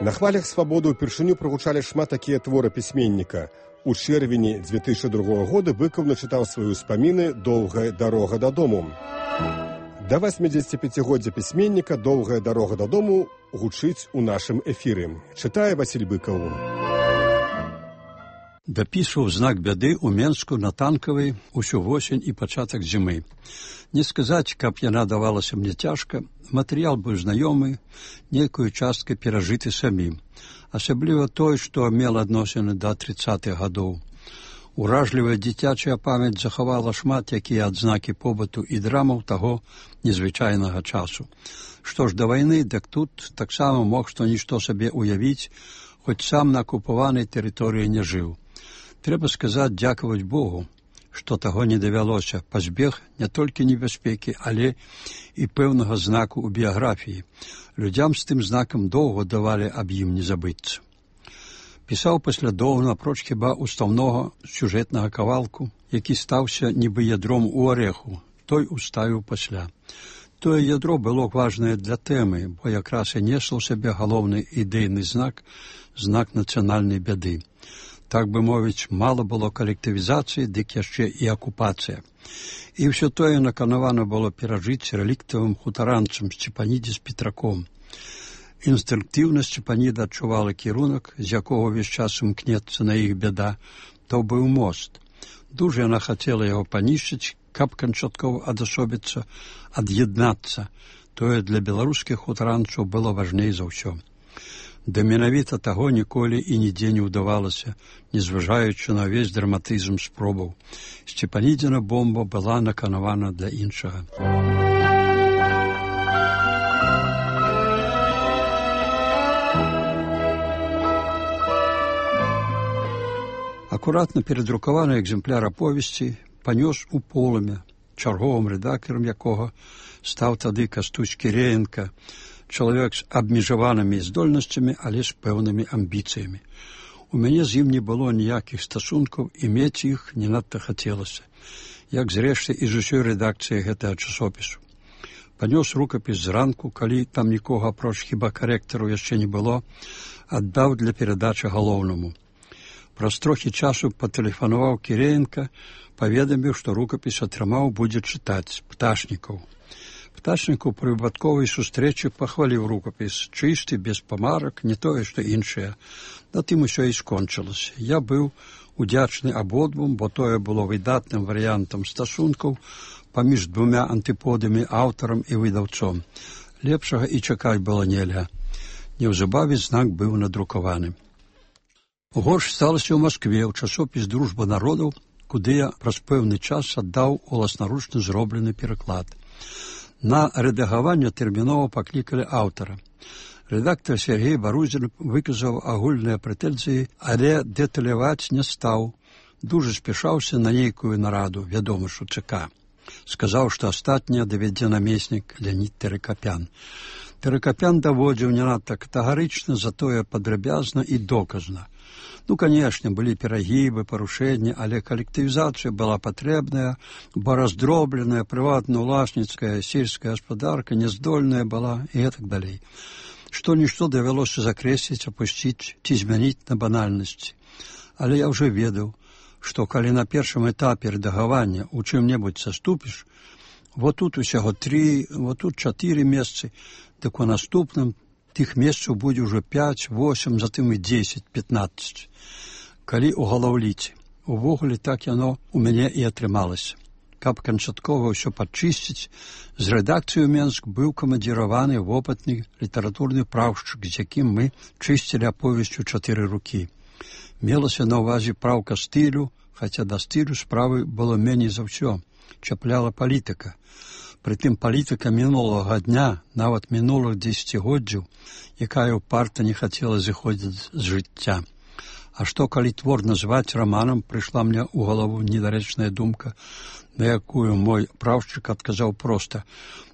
На хвалях Свабоды ўпершыню прагучалі шмат такія творы пісьменніка. У чэрвені 2002 года Быкаў начытаў свае ўспаміны «Доўгая дарога дадому». Да 85-годдзя пісьменніка «Доўгая дарога дадому» гучыць у нашым эфіры. Чытае Васіль Быкаў. Дапісваў знак бяды ў Менску на Танкавай усю восень і пачатак зімы. Не сказаць, каб яна давалася мне цяжка, матэрыял быў знаёмы, нейкую часткай перажыты самім, асабліва той, што мела адносіны да 30-х гадоў. Уражлівая дзіцячая памяць захавала шмат якія адзнакі побыту і драмаў таго незвычайнага часу. Што ж да вайны, дык тут таксама мог што-нішто сабе уявіць, хоць сам на акупаванай тэрыторыі не жыў. Трэба сказаць, дзякаваць Богу, што таго не давялося, пазбег не толькі небяспекі, але і пэўнага знаку ў біяграфіі. Людзям з тым знакам доўга давалі аб ім не забыцца. Пісаў паслядоўна, апроч хіба устаўнога сюжэтнага кавалку, які стаўся нібы ядром у арэху, той уставіў пасля. Тое ядро было важнае для тэмы, бо якраз і несла ў сабе галоўны ідэйны знак, знак нацыянальнай бяды. Так бы мовіць, мала было калектывізацыі, дык яшчэ і акупацыя. І ўсё тое наканавана было перажыць рэліктавым хутаранцам Сцепаніде з Петраком. Інстынктыўна Сцепаніда адчувала кірунак, з якога ўвесь час імкнецца на іх бяда, то быў мост. Дужа яна хацела яго панішчыць, каб канчаткова адасобіцца, ад'яднацца. Тое для беларускіх хутаранцаў было важней за ўсё. Да менавіта таго ніколі і нідзе не ўдавалася, незважаючы на ўвесь драматызм спробаў. Сцепанідзіна бомба была наканавана для іншага. Акуратна перадрукаваны экземпляр аповесці панёс у полымя, чарговым рэдактарам якога стаў тады Кастусь Кіреенка, чалавек з абмежаванымі здольнасцямі, але з пэўнымі амбіцыямі. У мяне з ім не было ніякіх стасункаў, і мець іх не надта хацелася, як зрэшты і з усёй рэдакцыі гэтага часопісу. Панёс рукапіс зранку, калі там нікога апроч хіба карэктару яшчэ не было, аддаў для перадачы галоўнаму. Праз трохі часу патэлефанаваў Кіреенка, паведаміў, што рукапіс атрымаў будзе чытаць Пташнікаў. Пташнікаў пры выпадковай сустрэчы пахваліў рукапіс, чысты, без памарак, не тое, што іншае. На тым усё і скончылася. Я быў удзячны абодвум, бо тое было выдатным варыянтам стасункаў паміж двумя антыподамі, аўтарам і выдаўцом. Лепшага і чакаць было нельга. Неўзабаве знак быў надрукаваны. Горш сталася ў Маскве, ў часопіс «Дружба народаў», куды я праз пэўны час аддаў уласнаручна зроблены пераклад. На рэдагаванне тэрмінова паклікалі аўтара. Рэдактар Сергей Барузін выказаў агульныя прэтэнзіі, але дэталяваць не стаў. Дужа спяшаўся на нейкую нараду, вядома ж у ЦК. Сказаў, што астатняе давядзе намеснік Леонід Тэракапян. Тэракапян даводзіў не надта катэгарычна, затое падрабязна і доказна. Ну, канешне, былі перагібы, парушэнні, але калектывізацыя была патрэбная, бо раздробленая, прыватна-уласніцкая, сельская гаспадарка няздольная была і гэтак далей. Што-нішто давялося закрэсліць, апусціць ці змяніць на банальнасці. Але я ўжо ведаў, што калі на першым этапе рэдагавання ў чым-небудзь саступіш, вот тут усяго 3, вот тут 4 месцы, так у наступным тых месцаў будзе ўжо 5, 8, затым і 10, 15. Калі ў галаўліце. Увогуле так яно у мяне і атрымалася. Каб канчаткова ўсё падчысціць, з рэдакцыі ў Менск быў камандзіраваны вопытны літаратурны праўшчык, з якім мы чысцілі аповесць у 4 рукі. Мелася на ўвазе праўка стылю, хаця да стылю справы было меней за ўсё. Чапляла палітыка. Прытым палітыка мінулага дня, нават мінулых дзесяцігоддзяў, якая ўпарта не хацела зыходзіць з жыцця. А што, калі твор назваць раманам, прыйшла мне ў галаву недарэчная думка, на якую мой праўшчык адказаў проста.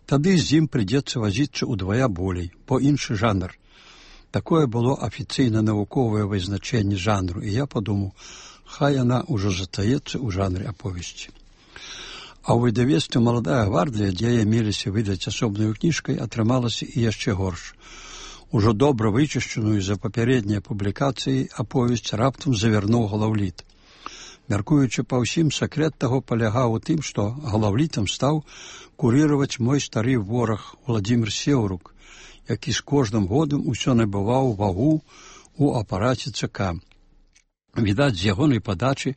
Тады з ім прыйдзецца вазіцца ўдвая болей, бо іншы жанр. Такое было афіцыйна-навуковае вызначэнне жанру, і я падумаў, хай яна ўжо застаецца ў жанры аповесці. А ў выдавецтве «Маладая гвардыя», дзе я меліся выдаць асобнаю кніжкай, атрымалася і яшчэ горш. Ужо добра вычышчаную за папярэднія публікацыі аповесць раптам завярнуў галаўліт. Мяркуючы па ўсім, сакрэт таго палягаў у тым, што галаўлітам стаў курыраваць мой стары вораг Уладзімір Сеўрук, які з кожным годам усё набываў вагу ў апараце ЦК. Відаць, з ягонай падачы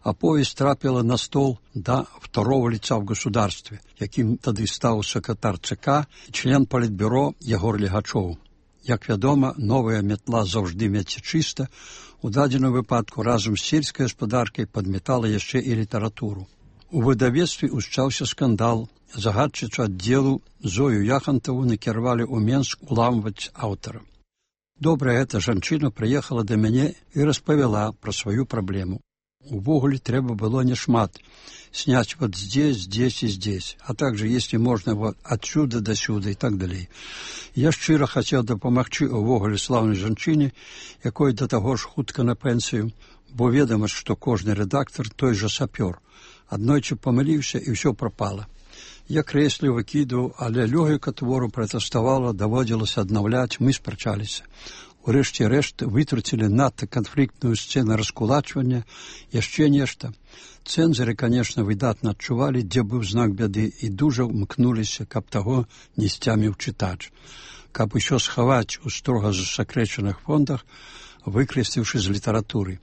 аповесць трапіла на стол да второго лица в государстве, якім тады стаў сакратар ЦК і член палітбюро Ягор Легачоў. Як вядома, новая метла заўжды меце чыста, у дадзеным выпадку разам з сельскай гаспадаркай падметала яшчэ і літаратуру. У выдавецтве ўсчаўся скандал. Загадчыцу аддзелу Зою Яхантаву накіравалі ў Менск уламваць аўтара. Добрая эта жанчына прыехала да мяне і распавяла пра сваю праблему. Увогуле трэба было няшмат. Снять вот здесь, здесь и здесь, а также, если можно, вот отсюда до сюда и так далее. Я шчыра хацеў дапамагчы увогуле слаўнай жанчыне, якой да таго ж хутка на пенсію, бо ведама, што кожны рэдактор той жа сапёр. Аднойчы памыліўся і ўсё прапала. Я крэсліў, выкідаў, але лёгіка твору пратэставала, даводзілася аднаўляць, мы спрачаліся. Урэшце рэшт вытруцілі надта канфліктную сцэну раскулачвання, яшчэ нешта. Цэнзары, конечно, выдатна адчувалі, дзе быў знак бяды, і дужа ўмкнуліся, каб таго не сцяміў чытач. Каб усё схаваць у строга засакрэчаных фондах, выкрэсліўшы з літаратуры.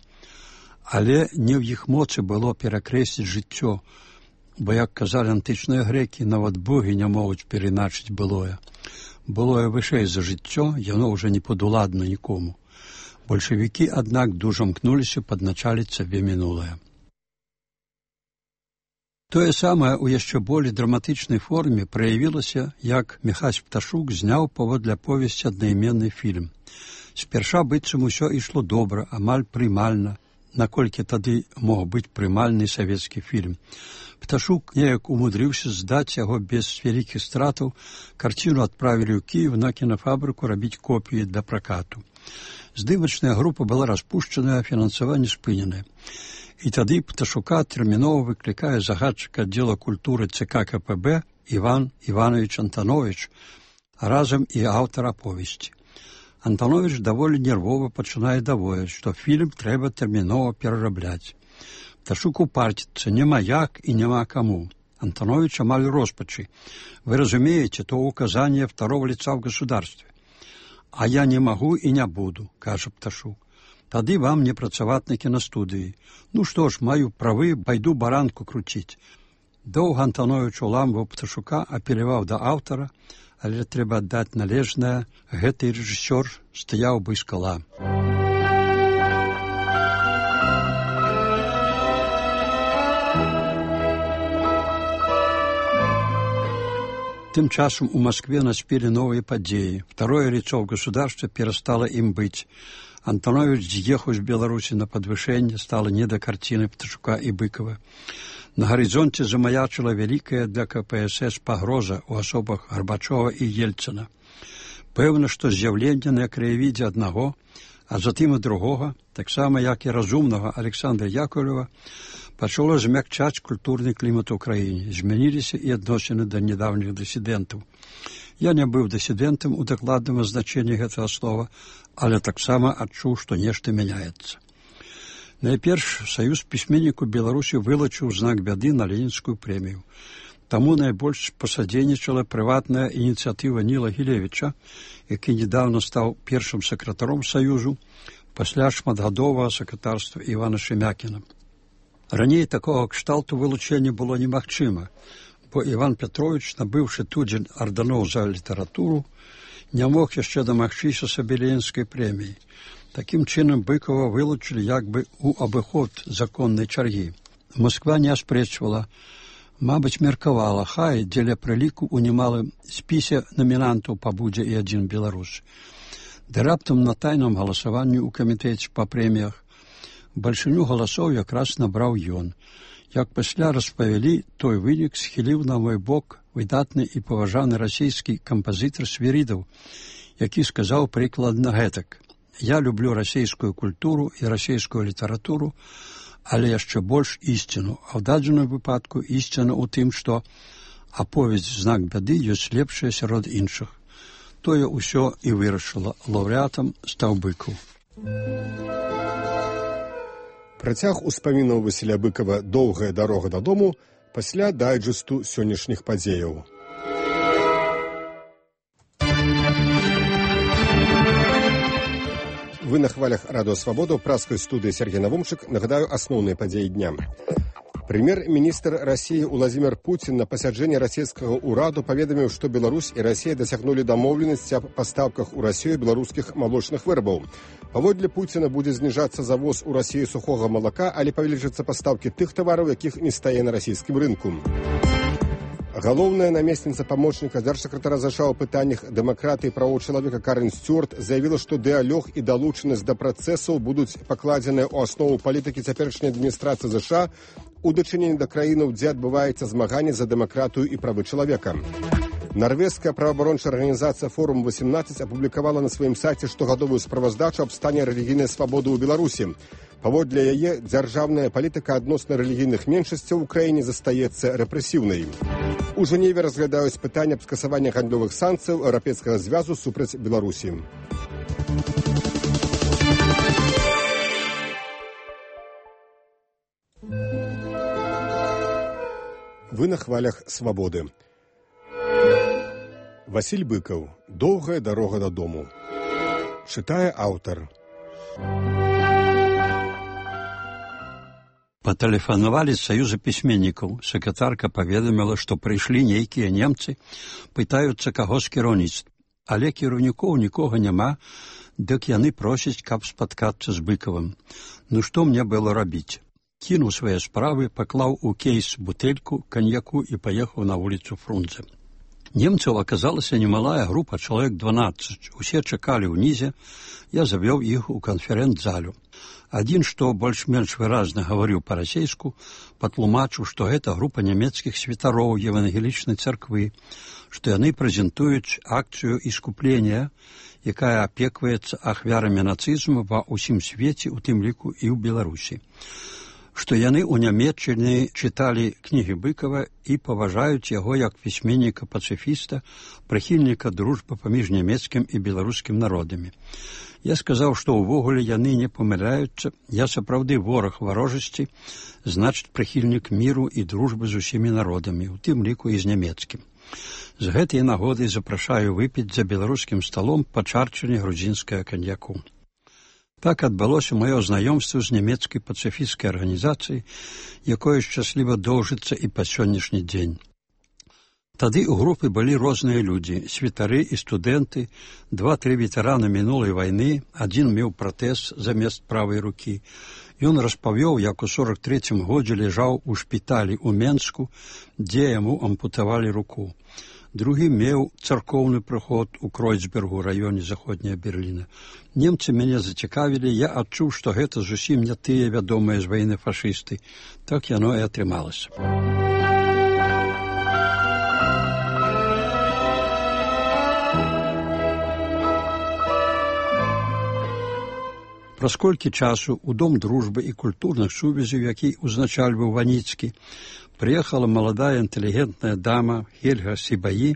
Але не ў іх моцы было перакрэсліць жыццё, бо, як казалі антычныя грэкі, нават богі не могуць перайначыць былое. Былое вышэй за жыццё, яно ўжо не падуладна нікому. Бальшавікі, аднак, дужа мкнуліся падначаліць сабе мінулае. Тое самае ў яшчэ болей драматычнай форме праявілася, як Міхась Пташук зняў паводле аповесці аднайменны фільм. Спярша быццам усё ішло добра, амаль прымальна, наколькі тады мог быць прымальны савецкі фільм. Пташук неяк умудрыўся здаць яго без вялікіх стратаў, карціну адправілі ў Кіев на кінафабрыку рабіць копіі для пракату. Здымачная група была распушчаная, фінансаванне спыненае. І тады Пташука тэрмінова выклікае загадчык аддзела культуры ЦК КПБ Іван Іванович Антанович, а разам і аўтар аповесці. Антанович даволі нервова пачынае даводзіць, што фільм трэба тэрмінова перарабляць. Пташук упарціцца, няма як і няма каму. Антанович амаль роспачы. Вы разумеете, то указание второго лица в государстве. А я не могу и не буду, кажа Пташук. Тады вам не працаваць на кінастудыі. Ну што ж, маю правы, пайду баранку круціць. Доўга Антанович уламваў Пташука, апеляваў да аўтара, але трэба аддаць належнае, гэты рэжысёр стаяў бы скала. Тым часам у Москве наспелі новыя падзеі. Второе лицо в государстве перестало им быть. Антанович з'ехаў з Беларусі на падвышэнне, стала не да карціны Пташука і Быкова. На гарызонце замаячыла вялікая для КПСС пагроза ў асобах Гарбачова і Ельцына. Пэўна, што з'яўленне на краявідзе аднаго, а затым і другога, таксама як і разумнага Александра Яковлева, пачало змякчаць культурны клімат у краіне. Змяніліся і адносіны да нядаўніх дысідэнтаў. Я не быў дысідэнтам у дакладным значэнні гэтага слова, але таксама адчуў, што нешта мяняецца. Найперш, Саюз пісьменнікаў Беларусі вылучыў знак бяды на Ленінскую прэмію. Таму найбольш пасадзейнічала прыватная ініцыятыва Ніла Гілевіча, які недавно стаў першым сакратаром Саюзу пасля шматгадовага сакратарства Івана Шемякіна. Раней такога кшталту вылучэння было немагчыма, бо Іван Петрович, набыўшы тудзень арданоў за літаратуру, не мог яшчэ дамагчыся сабе Ленінскай прэміі. Такім чынам Быкова вылучылі як бы ў абыход законнай чаргі. Москва не аспрэчвала, мабыць, меркавала, хай дзеля прыліку ў немалым спісе намінантаў пабудзе і адзін беларус. Ды раптам на тайным галасаванні ў камітэце па прэміях бальшыню галасоў якраз набраў ён. Як пасля распавялі, той вынік схіліў на мой бок выдатны і паважаны расійскі кампазітар Свірідаў, які сказаў прыкладна гэтак: «Я люблю расійскую культуру і расійскую літаратуру, але яшчэ больш ісціну, а ў дадзеным выпадку ісціна ў тым, што аповесць «Знак бяды» ёсць лепшая сярод іншых». Тое ўсё і вырашыла. Лаўрэатам стаў Быкаў. Працяг успамінаў Васіля Быкава «Доўгая дарога дадому» пасля дайджэсту сённяшніх падзеяў. Вы на хвалях Радыё Свабода, ў праскай студыі Сергей Навумчык. Нагадаю, асноўныя падзеі дня. Прэм'ер-міністр Расіі Уладзімір Пуцін на пасяджэнні расійскага ўраду паведаміў, што Беларусь і Расія дасягнулі дамоўленасці аб пастаўках у Расію беларускіх малочных вырабаў. Паводле Пуціна будзе зніжацца завоз у Расію сухога малака, але павялічацца пастаўкі тых тавараў, якіх не стае на расійскім рынку. Галоўная намесніца памочніка дзяржсакратара ЗША ў пытаннях дэмакратыі і правоў чалавека Карен Стюарт заявіла, што дыялог і далучанасць да працэсаў будуць пакладзеныя ў аснову палітыкі цяперашняй адміністрацыі ЗША у дачыненні да краінаў, дзе адбываецца змаганне за дэмакратыю і правы чалавека. Нарвежская праваабарончая арганізацыя «Форум-18» апублікавала на сваім сайце штогадовую справаздачу аб стане рэлігійнай свабоды ў Беларусі. Паводле яе, дзяржаўная палітыка адносна рэлігійных меншасцяў у краіне застаецца рэпрэсіўнай. У Жэневе разглядаюць пытанне аб скасаванні гандлёвых санкцыяў Еўрапейскага звязу супраць Беларусі. Вы на хвалях свабоды. Васіль Быкаў. Доўгая дарога дадому. Чытае аўтар. Патэлефанавалі з Саюза пісьменнікаў. Сакратарка паведаміла, што прыйшлі нейкія немцы, пытаюцца каго з кіраўніцтва. Але кіраўнікоў нікога няма, дык яны просяць, каб спаткацца з Быкавым. Ну што мне было рабіць? Кінуў свае справы, паклаў у кейс бутэльку каньяку і паехаў на вуліцу Фрунзе. Немцаў аказалася немалая група, чалавек 12. Усе чакалі ўнізе, я завёў іх у канферэнц-залю. Адзін, што больш-менш выразна гаварыў па-расейску, патлумачыў, што гэта група нямецкіх святароў евангелічнай царквы, што яны прэзентуюць акцыю іскуплення, якая апекваецца ахвярамі нацызму ва ўсім свеце, у тым ліку і ў Беларусі. Што яны ў Нямецчыне чыталі кнігі Быкава і паважаюць яго як пісьменніка-пацыфіста, прыхільніка дружбы паміж нямецкім і беларускім народамі. Я сказаў, што ўвогуле яны не памыляюцца, я сапраўды вораг варожасці, значыць прыхільнік міру і дружбы з усімі народамі, у тым ліку і з нямецкім. З гэтай нагоды запрашаю выпіць за беларускім сталом па чарчыне грузінскага каньяку. Так адбылося маё знаёмства з нямецкай пацыфісцкай арганізацыяй, якое шчасліва доўжыцца і па сённяшні дзень. Тады ў групы былі розныя людзі, святары і студэнты, 2-3 ветэраны мінулай вайны, адзін меў пратэз замест правай рукі. Ён распавёў, як у 43-м годзе ляжаў у шпіталі ў Менску, дзе яму ампутавалі руку. Другі меў царкоўны прыход у Кройцбергу, раёне заходняя Берліна. Немцы мяне зацікавілі, я адчуў, што гэта зусім не тыя вядомыя з вайны фашысты. Так яно і атрымалася. Праз колькі часу ў Дом дружбы і культурных сувязяў, які ўзначальваў Ваніцкі, прыехала маладая інтэлігентная дама Хельга Сібаі,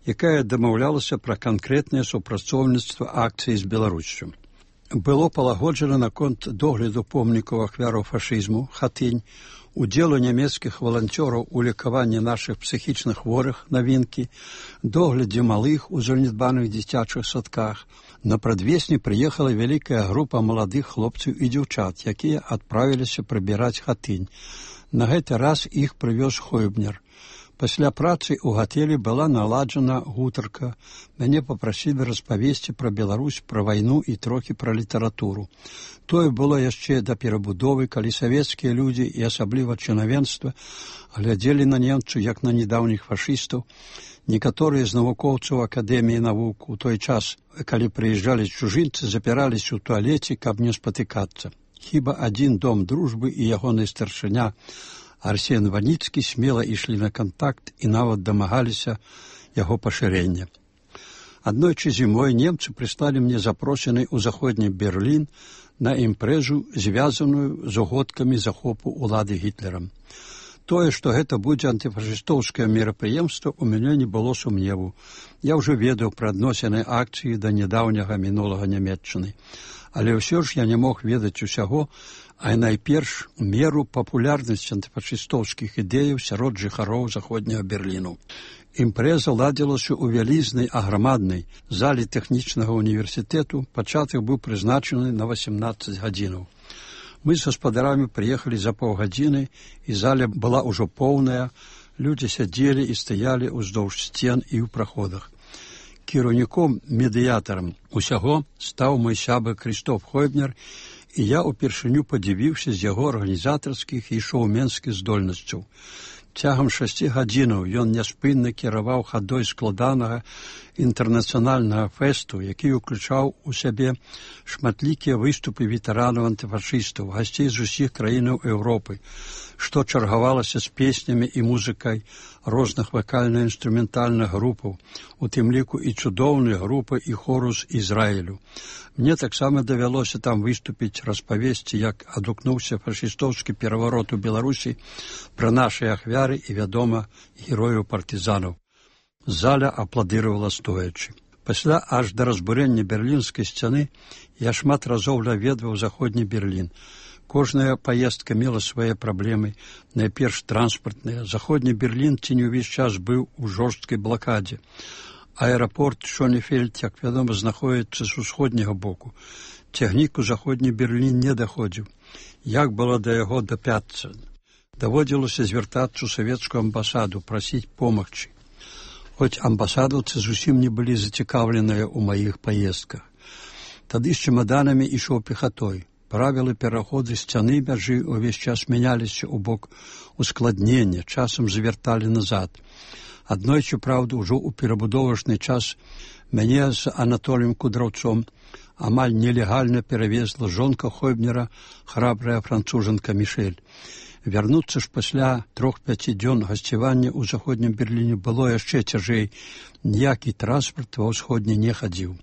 якая дамаўлялася пра канкрэтнае супрацоўніцтва акцыі з Беларуссю. Было палагоджана наконт догляду помнікаў ахвяраў фашызму, хатынь, удзелу нямецкіх валанцёраў у лекаванні нашых псіхічных хворых, навінкі, доглядзе малых у занядбаных дзіцячых садках. На прадвесні прыехала вялікая група маладых хлопцаў і дзяўчат, якія адправіліся прыбіраць хатынь. На гэты раз іх прывёз Хойбнер. Пасля працы ў гатэлі была наладжана гутарка. Мяне папрасілі распавесці пра Беларусь, пра вайну і трохі пра літаратуру. Тое было яшчэ да перабудовы, калі савецкія людзі і асабліва чынавенства глядзелі на немцаў як на недаўніх фашыстаў. Некаторыя з навукоўцаў Акадэміі навук у той час, калі прыязджалі чужынцы, запіраліся ў туалеце, каб не спатыкацца. Хіба адзін Дом дружбы і ягоны старшыня Арсен Ваніцкі смела ішлі на кантакт і нават дамагаліся яго пашырення. Аднойчы зімой немцы прыслалі мне запрошаны ў заходні Берлін на імпрэзу, звязаную з угодкамі захопу ўлады Гітлерам. Тое, што гэта будзе антыфашыстоўскае мерапрыемства, у мяне не было сумневу. Я ўжо ведаў пра адносіны акцыі да нядаўняга мінулага Нямецчыны. Але ўсё ж я не мог ведаць усяго, а найперш меру папулярнасці антыфашыстоўскіх ідэяў сярод жыхароў заходняга Берліну. Імпрэза ладзілася ў вялізнай аграмаднай зале тэхнічнага універсітэту, пачатак быў прызначаны на 18 гадзінаў. Мы з гаспадарамі прыехалі за паўгадзіны, і заля была ўжо поўная, людзі сядзелі і стаялі ўздоўж сцен і ў праходах. Кіраўніком, медыятарам усяго стаў мой сябра Крыштоф Хойбнер, і я ўпершыню падзівіўся з яго арганізатарскіх і шоуменскіх здольнасцяў. Цягам 6 гадзінаў ён няспынна кіраваў хадой складанага інтэрнацыянальнага фэсту, які ўключаў у сябе шматлікія выступы ветэранаў антыфашыстаў, гасцей з усіх краінаў Еўропы, што чаргавалася з песнямі і музыкай розных вакальна-інструментальных групаў, у тым ліку і цудоўныя групы і хору з Ізраілю. Мне таксама давялося там выступіць, распавесці, як адгукнуўся фашыстоўскі пераварот у Беларусі пра нашы ахвяры і, вядома, герояў-партызанаў. Заля апладыравала стоячы. Пасля аж да разбурэння берлінскай сцяны я шмат разоў наведваў заходні Берлін. Кожная паездка мела свае праблемы, найперш транспартныя. Заходні Берлін ці не ўвесь час быў у жорсткай блакадзе. Аэрапорт Шонефельд, як вядома, знаходзіцца з усходняга боку. Цягнік у заходні Берлін не даходзіў. Як было да яго дапяцца? Даводзілася звяртацца ў савецкую амбасаду, прасіць помагчы. Хоць амбасадаўцы зусім не былі зацікаўленыя ў маіх паездках. Тады з чемаданамі ішоў пехатой. Правілы пераходу сцяны мяжы ўвесь час мяняліся ў бок ускладнення, часам завярталі назад. Аднойчы, праўда, ужо ў перабудовачны час мяне з Анатоліем Кудраўцом амаль нелегальна перавезла жонка Хойбнера, храбрая францужанка Мішэль. Вярнуцца ж пасля 3-5 дзён гасцявання ў заходнім Берліне было яшчэ цяжэй. Ніякі транспарт ва ўсходні не хадзіў.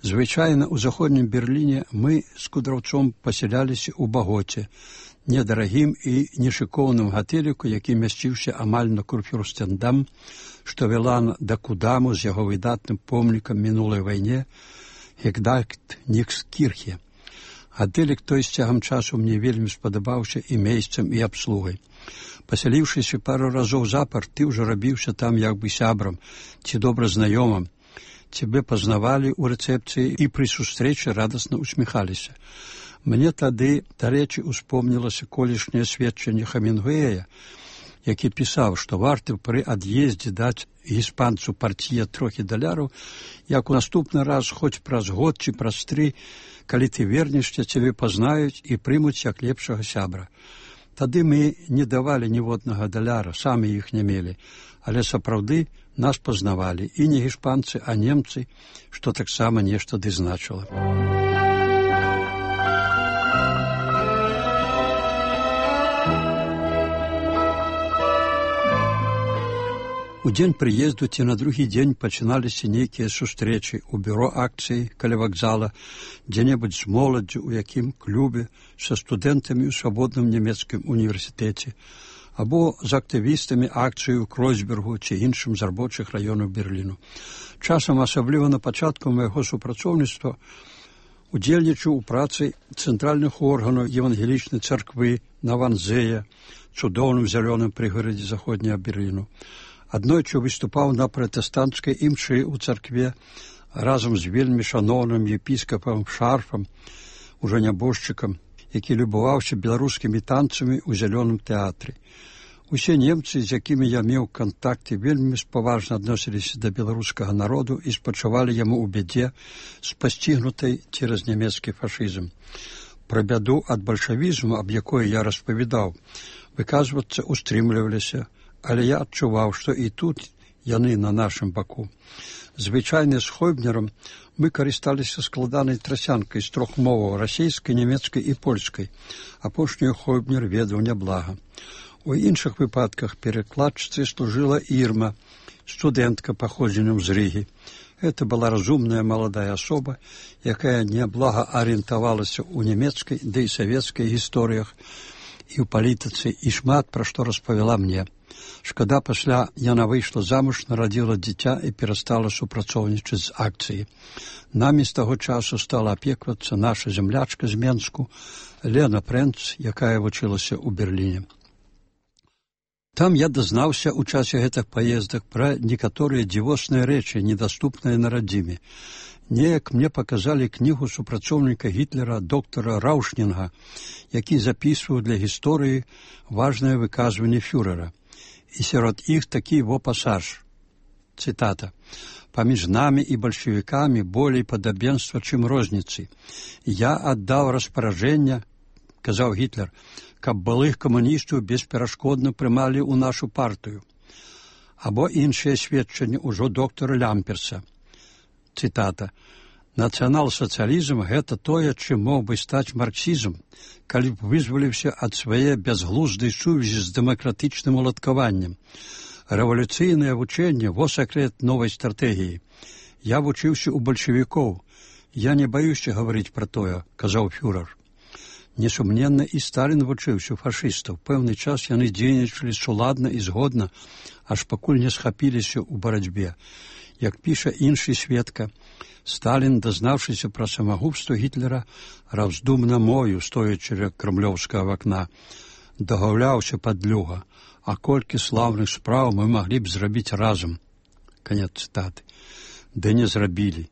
Звычайна ў заходнім Берліне мы з Кудраўцом пасяляліся ў Багоце, недарагім і нешыкоўным гатэліку, які мясціўся амаль на Курфюрстендам, што вела да Кудаму з яго выдатным помнікам мінулай вайне Гегдальт Нікскірхе. Гатэлік той з цягам часу мне вельмі спадабаўся і месцам, і абслугай. Пасяліўшыся пару разоў запар, ты ўжо рабіўся там як бы сябрам ці добра знаёмым. Цябе пазнавалі ў рэцэпцыі і пры сустрэчы радасна усміхаліся. Мне тады, дарэчы, успомнілася колішняе сведчанне Хемінгуэя, які пісаў, што варта пры ад'ездзе даць іспанцу партія трохі даляраў, як у наступны раз, хоць праз год ці праз 3, калі ты вернешся, цябе пазнаюць і прымуць як лепшага сябра. Тады мы не давалі ніводнага даляра, самі іх не мелі, але сапраўды нас пазнавалі, і не іспанцы, а немцы, што таксама нешта ды значыла. У дзень прыезду ці на другі дзень пачыналіся нейкія сустрэчы ў бюро акцыі каля вакзала, дзе-небудзь з моладдзю, у якім клубе, са студэнтамі ў свабодным нямецкім універсітэце, або з актывістамі акцыі ў Кройсбергу ці іншым з рабочых раёнаў Берліну. Часам, асабліва на пачатку майго супрацоўніцтва, удзельнічаў у працы цэнтральных органаў евангелічнай царквы на Ванзея, цудоўным зялёным прыгарадзе заходняга Берліну. Аднойчы выступаў на пратэстанцкай імшы ў царкве разам з вельмі шаноўным епіскапам Шарфам, ужо нябожчыкам, які любаваўся беларускімі танцамі ў зялёным тэатры. Усе немцы, з якімі я меў кантакты, вельмі спаважна адносіліся да беларускага народу і спачувалі яму ў бядзе з пасцігнутай цераз нямецкі фашызм. Пра бяду ад бальшавізму, аб якой я распавядаў, выказвацца устрымліваліся, але я адчуваў, што і тут яны на нашым баку. Звычайна з Хойбнерам мы карысталіся складанай трасянкай з 3 моваў, расейскай, нямецкай і польскай. Апошнюю Хойбнер ведаў няблага. У іншых выпадках перакладчыцай служыла Ірма, студэнтка паходзеннем з Рыгі. Гэта была разумная маладая асоба, якая няблага арыентавалася ў нямецкай, ды і савецкай гісторыях і ў палітыцы, і шмат пра што распавяла мне. Шкада, пасля яна выйшла замуж, нарадзіла дзіця і перастала супрацоўнічаць з акцыяй. Намі з таго часу стала апеквацца наша зямлячка з Менску, Лена Прэнц, якая вучылася ў Берліне. Там я дазнаўся ў часе гэтых паездак пра некаторыя дзівосныя рэчы, недаступныя на радзіме. Неяк мне паказалі кнігу супрацоўніка Гітлера доктара Раўшнінга, які запісваў для гісторыі важнае выказванне фюрера. І сярод іх такі во пасаж. Цытата. «Паміж намі і бальшавікамі болей падабенства, чым розніцы. Я аддаў распараджэнне, — казаў Гітлер, — каб былых камуністаў бесперашкодна прымалі ў нашу партыю». Або іншыя сведчанні ўжо доктара Лямперса. Цытата. «Нацыянал-сацыялізм — гэта тое, чым мог бы стаць марксізм, калі б вызваліўся ад свае бязглуздай сувязі з дэмакратычным уладкаваннем. Рэвалюцыйнае вучэнне — во сакрэт новай стратэгіі. Я вучыўся ў бальшавікоў. Я не баюся гаварыць пра тое», — казаў фюрер. Несумненна, і Сталін вучыўся фашыстаў. Пэўны час яны дзейнічалі суладна і згодна, аж пакуль не схапіліся ў барацьбе. Як піша іншы сведка, Сталін, дазнаўшыся пра самагубства Гітлера, раздумна мою, стоячы ля крамлёўскага вакна, дагаўляўся падлюга, а колькі слаўных спраў мы маглі б зрабіць разам. Канец цытаты. Ды не зрабілі.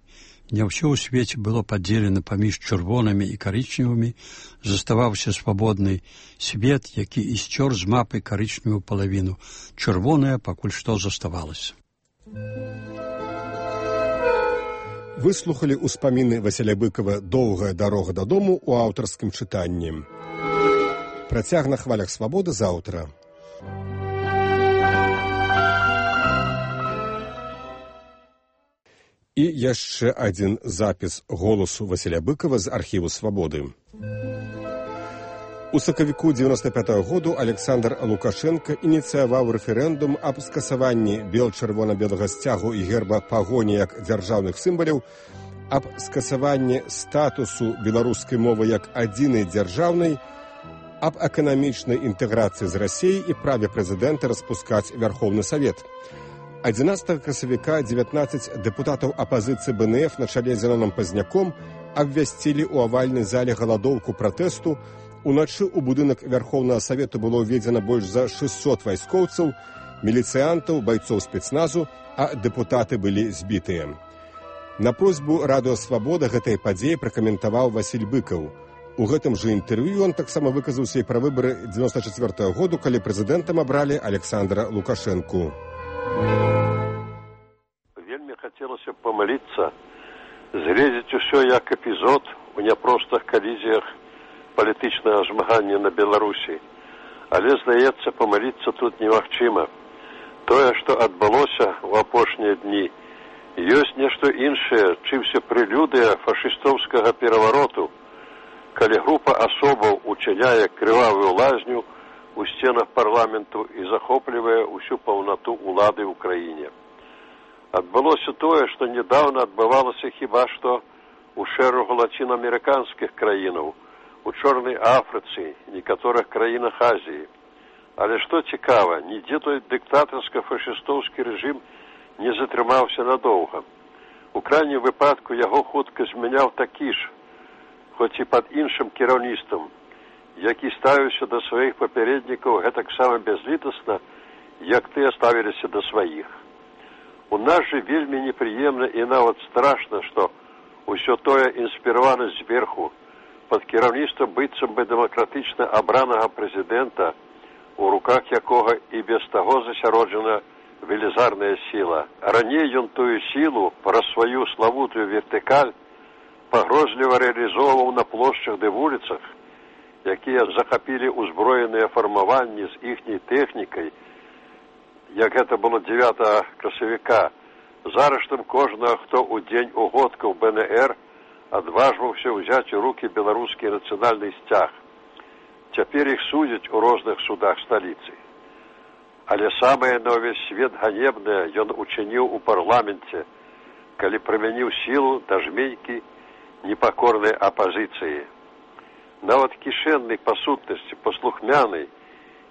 Не ўсё ў свеце было падзелена паміж чырвонымі і карычневымі, заставаўся свабодны свет, які і сцёр з мапы карычневую палавіну. Чырвоная пакуль што заставалася. Выслухалі ўспаміны Васіля Быкова «Доўгая дарога дадому» у аўтарскім чытанні. Працяг на хвалях свабоды заўтра. І яшчэ адзін запіс голасу Васіля Быкова з архіву «Свабоды». У сакавіку 95-го году Александр Лукашенко ініцыяваў рэферэндум аб скасаванні бел-чырвона-белага сцягу і герба пагоні як дзяржаўных сімваляў, аб скасаванні статусу беларускай мовы як адзінай дзяржаўнай, аб эканамічнай інтэграцыі з Расіяй і праве прэзідэнта распускаць Вярхоўны Савет. 11 красавіка 19 дэпутатаў апазіцыі БНФ на чале з Зеноном Пазняком абвясцілі ў авальнай зале галадоўку пратэсту. Уначы ў будынак Вярхоўнага Савету было ўведзена больш за 600 вайскоўцаў, міліцыянтаў, байцоў спецназу, а дэпутаты былі збітыя. На просьбу Радыё Свабода гэтай падзеі пракаментаваў Васіль Быкаў. У гэтым жа інтэрв'ю ён таксама выказаўся і пра выбары 94-го году, калі прэзідэнтам абралі Александра Лукашэнку. Вельмі хацелася памыліцца, згледзець усё як эпізод у няпростых калізіях палітычнага змагання на Беларусі. Але, здаецца, памыліцца тут немагчыма. Тое, што адбылося ў апошнія дні, ёсць нешта іншае, чымся прэлюдыя фашыстоўскага перавароту, калі група асобаў учыняе крывавую лазню у сценах парламенту і захоплівае ўсю паўнату ўлады ў краіне. Адбылося тое, што нядаўна адбывалася хіба што ў шэрагу лацінаамерыканскіх краінаў, у Чорнай Афрыцы, некаторых краінах Азіі. Але што цікава, нідзе той дыктатарска-фашыстоўскі рэжым не затрымаўся надоўга. У крайнім выпадку яго хутка змяняў такі ж, хоць і пад іншым кіраўніцтвам, які ставіўся да сваіх папярэднікаў гэтаксама бязлітасна, як тыя ставіліся да сваіх. У нас жа вельмі непрыемна і нават страшна, што ўсё тое інспіравана зверху, пад кіраўніцтвам быццам бы дэмакратычна абранага прэзідэнта, у руках якога і без таго засяроджана велізарная сіла. Раней ён тую сілу праз сваю славутую вертыкаль пагрозліва рэалізоўваў на плошчах ды вуліцах, якія захапілі ўзброеныя фармаванні з іхняй тэхнікай, як гэта было 9 красавіка, з арыштам кожнага, хто ў дзень угодкаў БНР адважваўся ўзяць у рукі беларускі нацыянальны сцяг. Цяпер іх судзяць у розных судах сталіцы. Але самае на ўвесь свет ганебнае ён учыніў у парламенце, калі прымяніў сілу да жменькі непакорнай апазіцыі. Нават кішэнны па сутнасці, паслухмяны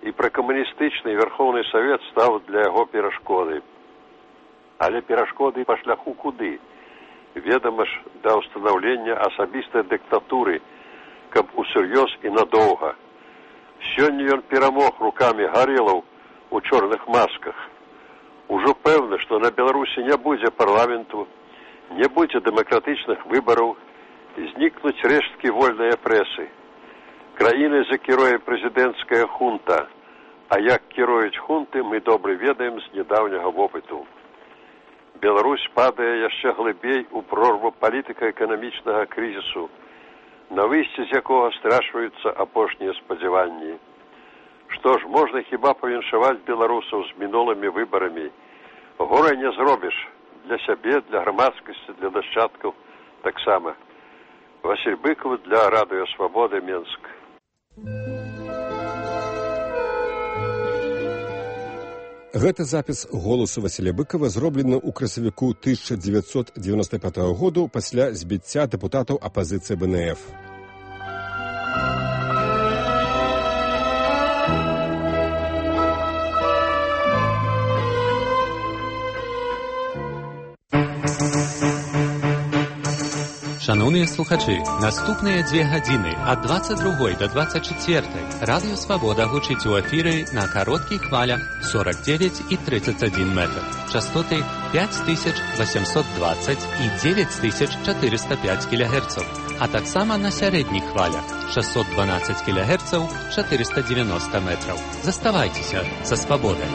і пракамуністычны Верховны Савет стаў для яго перашкодай. Але перашкоды па шляху куды? Ведама ж, да ўстанаўлення асабістай дыктатуры, каб усур'ёз і надоўга. Сёння ён перамог рукамі гарэлаў у чорных масках. Ужо пэўна, што на Беларусі не будзе парламенту, Не будзе дэмакратычных выбараў, знікнуць рэшткі вольнай прэсы. Краінай закіруе прэзідэнцкая хунта, а як кіруюць хунты, мы добра ведаем з нядаўняга вопыту. Беларусь падае яшчэ глыбей у прорву палітыка-эканамічнага крызісу, на выйсці з якога страчваюцца апошнія спадзяванні. Што ж, можна хіба павіншаваць беларусаў з мінулымі выбарамі. Горай не зробіш. Для сябе, для грамадскасці, для нашчадкаў таксама. Васіль Быкаў для Радыё Свабода, Менск. Гэты запіс голасу Васіля Быкава зроблены ў красавіку 1995 году пасля збіцця дэпутатаў апазіцыі БНФ. Шановні слухачі, наступні 2 гадзини ад 22 до 24 Радіо Свобода гучить у ефірі на коротких хвалях 49 і 31 метр, частоти 5820 і 9405 кГц, а так само на середніх хвалях 612 кГц, 490 метрів. Заставайтеся за свободою.